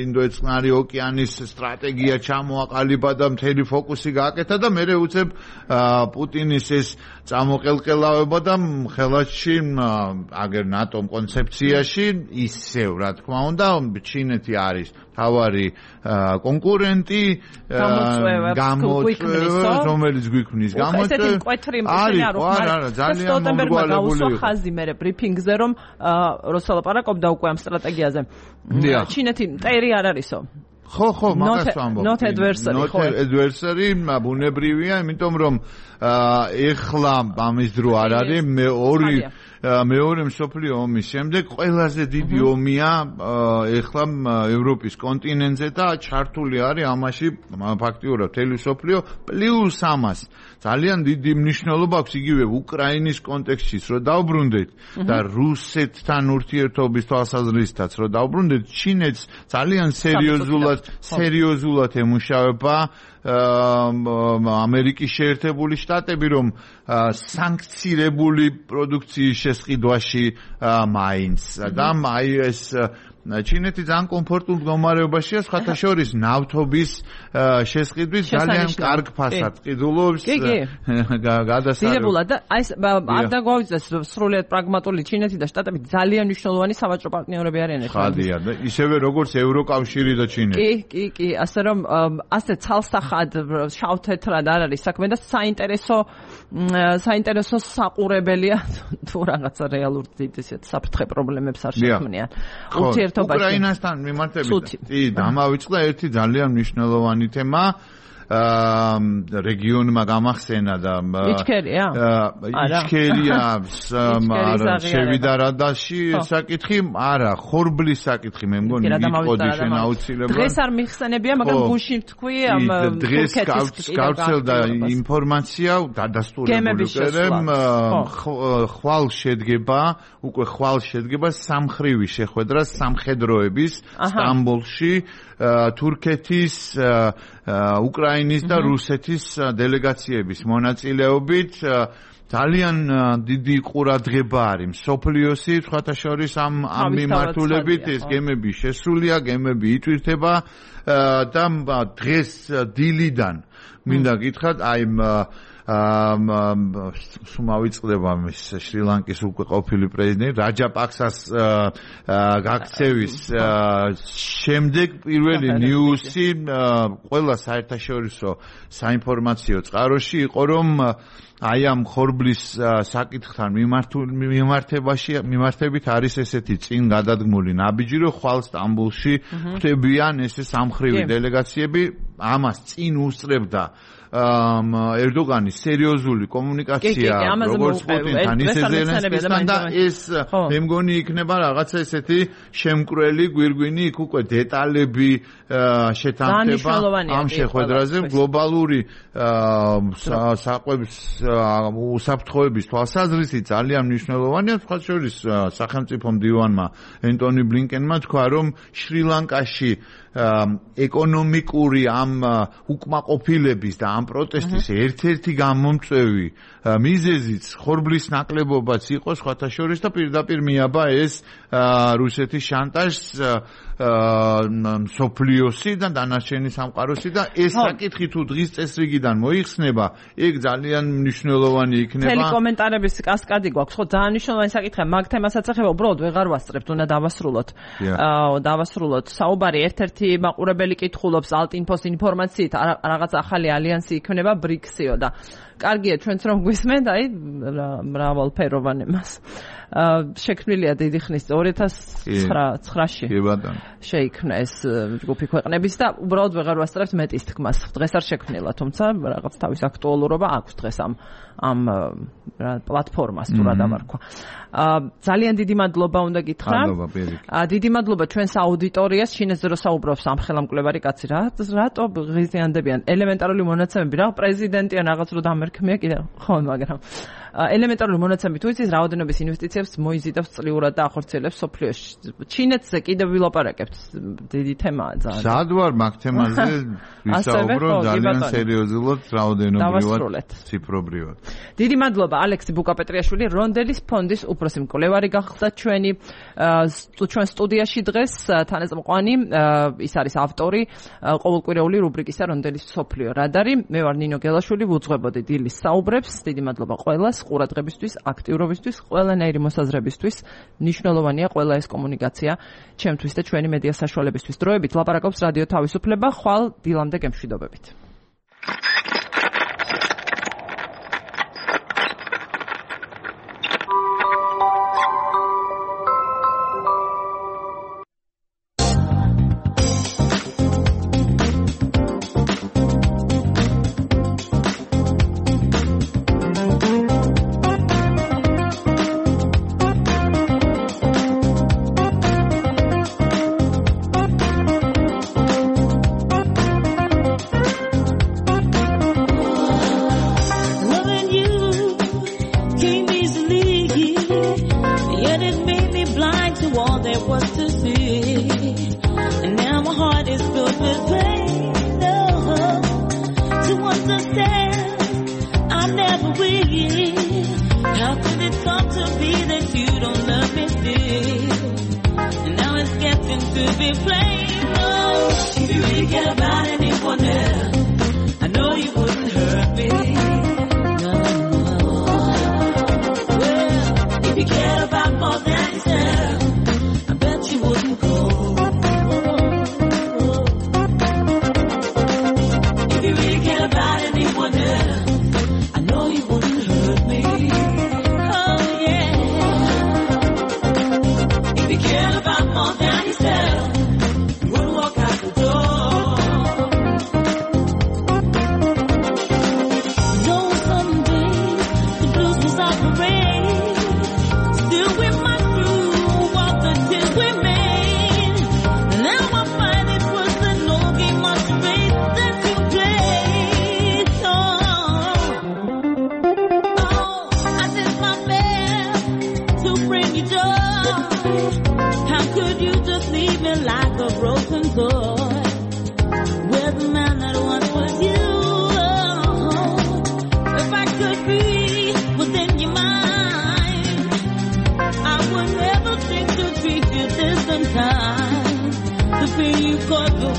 ინდოეთწყნარი ოკეანის სტრატეგია ჩამოაყალიბა და მთელი ფოკუსი გააკეთა და მერე უცებ პუტინის ეს წამოყელყელავება და ხელათში აგერ ნატომ კონცეფციაში ისევ რა თქმა უნდა ჩინეთი არის თავარი კონკურენტი გამოწვევა რომელიც გვიქმნის გამოწვევა არის არა არა ძალიან მომრგვალებული იყო ხაზი მე ბრიფინგზე რომ როსალაპარაკობდა უკვე ამ სტრატეგიაზე ჩინეთი მტერი არ არისო ხო ხო მაგას ვამბობ not adversary ხო not adversary ბუნებრივია იმიტომ რომ ეხლა ამის დრო არ არის მე ორი მეორე მსოფლიო ომის შემდეგ ყველაზე დიდი ომია ეხლა ევროპის კონტინენტზე და ჩართული არის ამაში ფაქტიურად მთელი მსოფლიო პლუს ამას ძალიან დიდი მნიშვნელობა აქვს იგივე უკრაინის კონტექსტშიც რომ დავბრუნდეთ და რუსეთთან ურთიერთობის თვალსაზრისითაც რომ დავბრუნდეთ ჩინეთს ძალიან სერიოზულად სერიოზულად ემუშავება ამერიკის შეერთებული შტატები რომ სანქცირებული პროდუქციის შესყიდვაში მაინც და აი ეს ჩინეთი ძალიან კომფორტულ მდგომარეობაშია სხვათა შორის ნავთობის შესყიდვის ძალიან კარგ ფასად ყიდულობს გადასარევად და აი არ დაგვაუძეს სრულიად პრაგმატული ჩინეთი და შტატები ძალიან მნიშვნელოვანი სავაჭრო პარტნიორები არიან ახლა ხადია და ისევე როგორც ევროკავშირი და ჩინეთი კი კი კი ასე რომ ასე ცალსახად შავ-თეთრად არ არის საქმე და საინტერესო საინტერესო საყურებელია თუ რაღაცა რეალურ ისეთ საფრთხე პრობლემებს არ შექმნიან ურთიერთ უკრაინასთან მიმართებით კი დამავიწყდა ერთი ძალიან მნიშვნელოვანი თემა რეგიონმა გამახსენა და იჩქერია იჩქერია შევიდა რადაში საკითხი არა ხორბლის საკითხი მე მგონი მიტყოდი შენ აუცილებლად დღეს არ მიხსენებია მაგრამ გუშინ თქვი ამ დღეს გავცელდა ინფორმაცია დადასტურებული ხვალ შედგება უკვე ხვალ შედგება სამხრივი შეხვედრა სამხედროების სტამბოლში თურქეთის უკრაინის და რუსეთის დელეგაციების მონაწილეობით ძალიან დიდი ყურადღება არის მსოფლიოსი სხვათა შორის ამ ამ მიმართულებით ეს გემები შესულია გემები იტვირთება და დღეს დილიდან მინდა გითხრათ აი სუმავიწყდება მის შრი-ლანკის უკვე ყოფილი პრეზიდენტი რაჯაპაქსას გაქცევის შემდეგ პირველი ნიუსი ყველა საერთაშორისო საინფორმაციო წყაროში იყო რომ აი ამ ხორბლის საკითხთან მიმართებაში მიმართებით არის ესეთი წინ გადადგმული ნაბიჯი რომ ხვალ სტამბულში ხდებიან ესე სამხრივი დელეგაციები ამას წინ უსწრებდა ერდოგანის სერიოზული კომუნიკაცია როგორც პუტინთან ისე ზელენსკისთან და ეს მე მგონი იქნება რაღაცა ესეთი შემკვრელი გვირგვინი იქ უკვე დეტალები შეთანხმება ამ შეხვედრაზე გლობალური საყვების უსაფრთხოების თვალსაზრისით ძალიან მნიშვნელოვანია სხვა შორის სახელმწიფო მდივანმა ენტონი ბლინკენმა თქვა რომ შრი-ლანკაში ეკონომიკური ამ უკმაყოფილების და ამ პროტესტის ერთ-ერთი გამომწვევი მიზეზიც ხორბლის ნაკლებობაც იყო სხვათა შორის და პირდაპირ მიაბა ეს რუსეთის შანტაჟს სოფლიოსი და დანარჩენი სამყაროსი და ეს საკითხი თუ დღის წესრიგიდან მოიხსნება ეგ ძალიან მნიშვნელოვანი იქნება. მთელი კომენტარების კასკადი გვაქვს ხო ძალიან მნიშვნელოვანი საკითხია მაგ თემასაც ეხება უბრალოდ ვეღარ ვასწრებთ უნდა დავასრულოთ. დავასრულოთ საუბარი ერთ-ერთი მაყურებელი კითხულობს ალტინფოს ინფორმაციით რაღაც ახალი ალიანსი იქნება ბრიქსიო და კარგია ჩვენც რომ გვისმენთ აი მრავალფეროვან მას შექმნილია დიდი ხნის ორი ათას ცხრაში შეიქმნა ეს ჯგუფი ქვეყნების და უბრალოდ ვეღარ ვასწრებთ მეტის თქმას დღეს არ შექმნილა თუმცა რაღაც თავის აქტუალურობა აქვს დღეს ამ ამ პლატფორმას თუ რა დავარქვა ძალიან დიდი მადლობა უნდა გითხრა დიდი მადლობა ჩვენს აუდიტორიას შინეს რო საუბრობს ამ ხელამკვლევარი კაცი რა რატო ღიზიანდებიან ელემენტარული მონაცემები რა პრეზიდენტი ან რაღაც რო დამერქმია კიდე ხო მაგრამ ელემენტარული მონაცემები თუ იცის რაოდენობის ინვესტიციებს მოიზიდავს წლიურად და ახორციელებს სოფლიოში ჩინეთზე კიდე ვილაპარაკებთ დიდი თემაა ძალიან სად ვარ მაგ თემაზე ვისაუბრო ძალიან სერიოზულად რაოდენობრივად ციფრობრივად დიდი მადლობა ალექსი ბუკაპეტრიაშვილი რონდელის ფონდის უფროსი მკვლევარი გახდა ჩვენი ჩვენ სტუდიაში დღეს თანაზმყვანი ის არის ავტორი ყოველკვირეული რუბრიკისა რონდელის სოფლიო რადარი მე ვარ ნინო გელაშვილი ვუძღვებოდი დილის საუბრებს დიდი მადლობა ყველას ყურადღებისთვის აქტიურობისთვის ყველანაირი მოსაზრებისთვის მნიშვნელოვანია ყველა ეს კომუნიკაცია ჩემთვის და ჩვენი მედია საშუალებისთვის დროებით ლაპარაკობს რადიო თავისუფლება ხვალ დილამდე გემშვიდობებით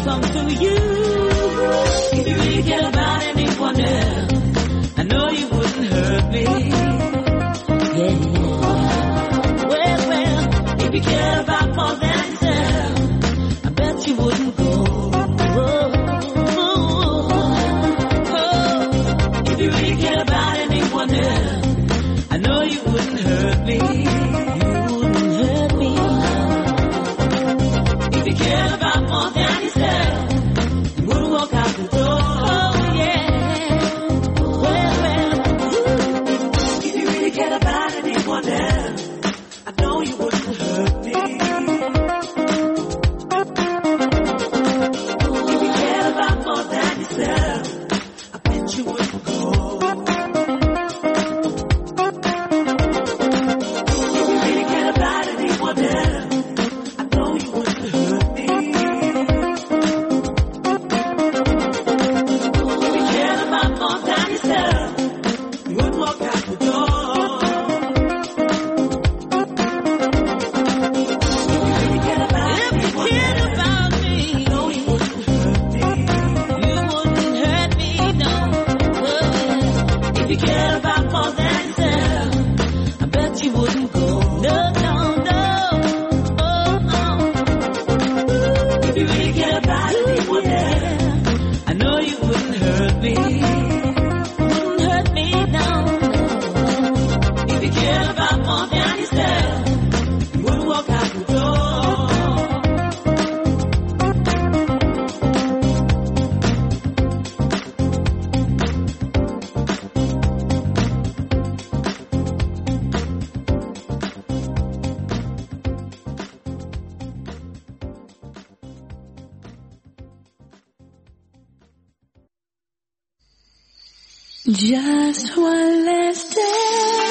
Come to you. If you really care about anyone else, I know you wouldn't hurt me. Yeah, yeah. Well, well, if you care about more than yourself, I bet you wouldn't go. Oh, oh, oh. If you really care about anyone else, I know you wouldn't hurt me. You wouldn't hurt me. If you care about more than yourself, you wouldn't walk out the door. Oh, yeah. Well, well, ooh. If you really care about anyone else, I know you wouldn't hurt me. If you care about more than yourself, I bet you wouldn't go. Just one last day.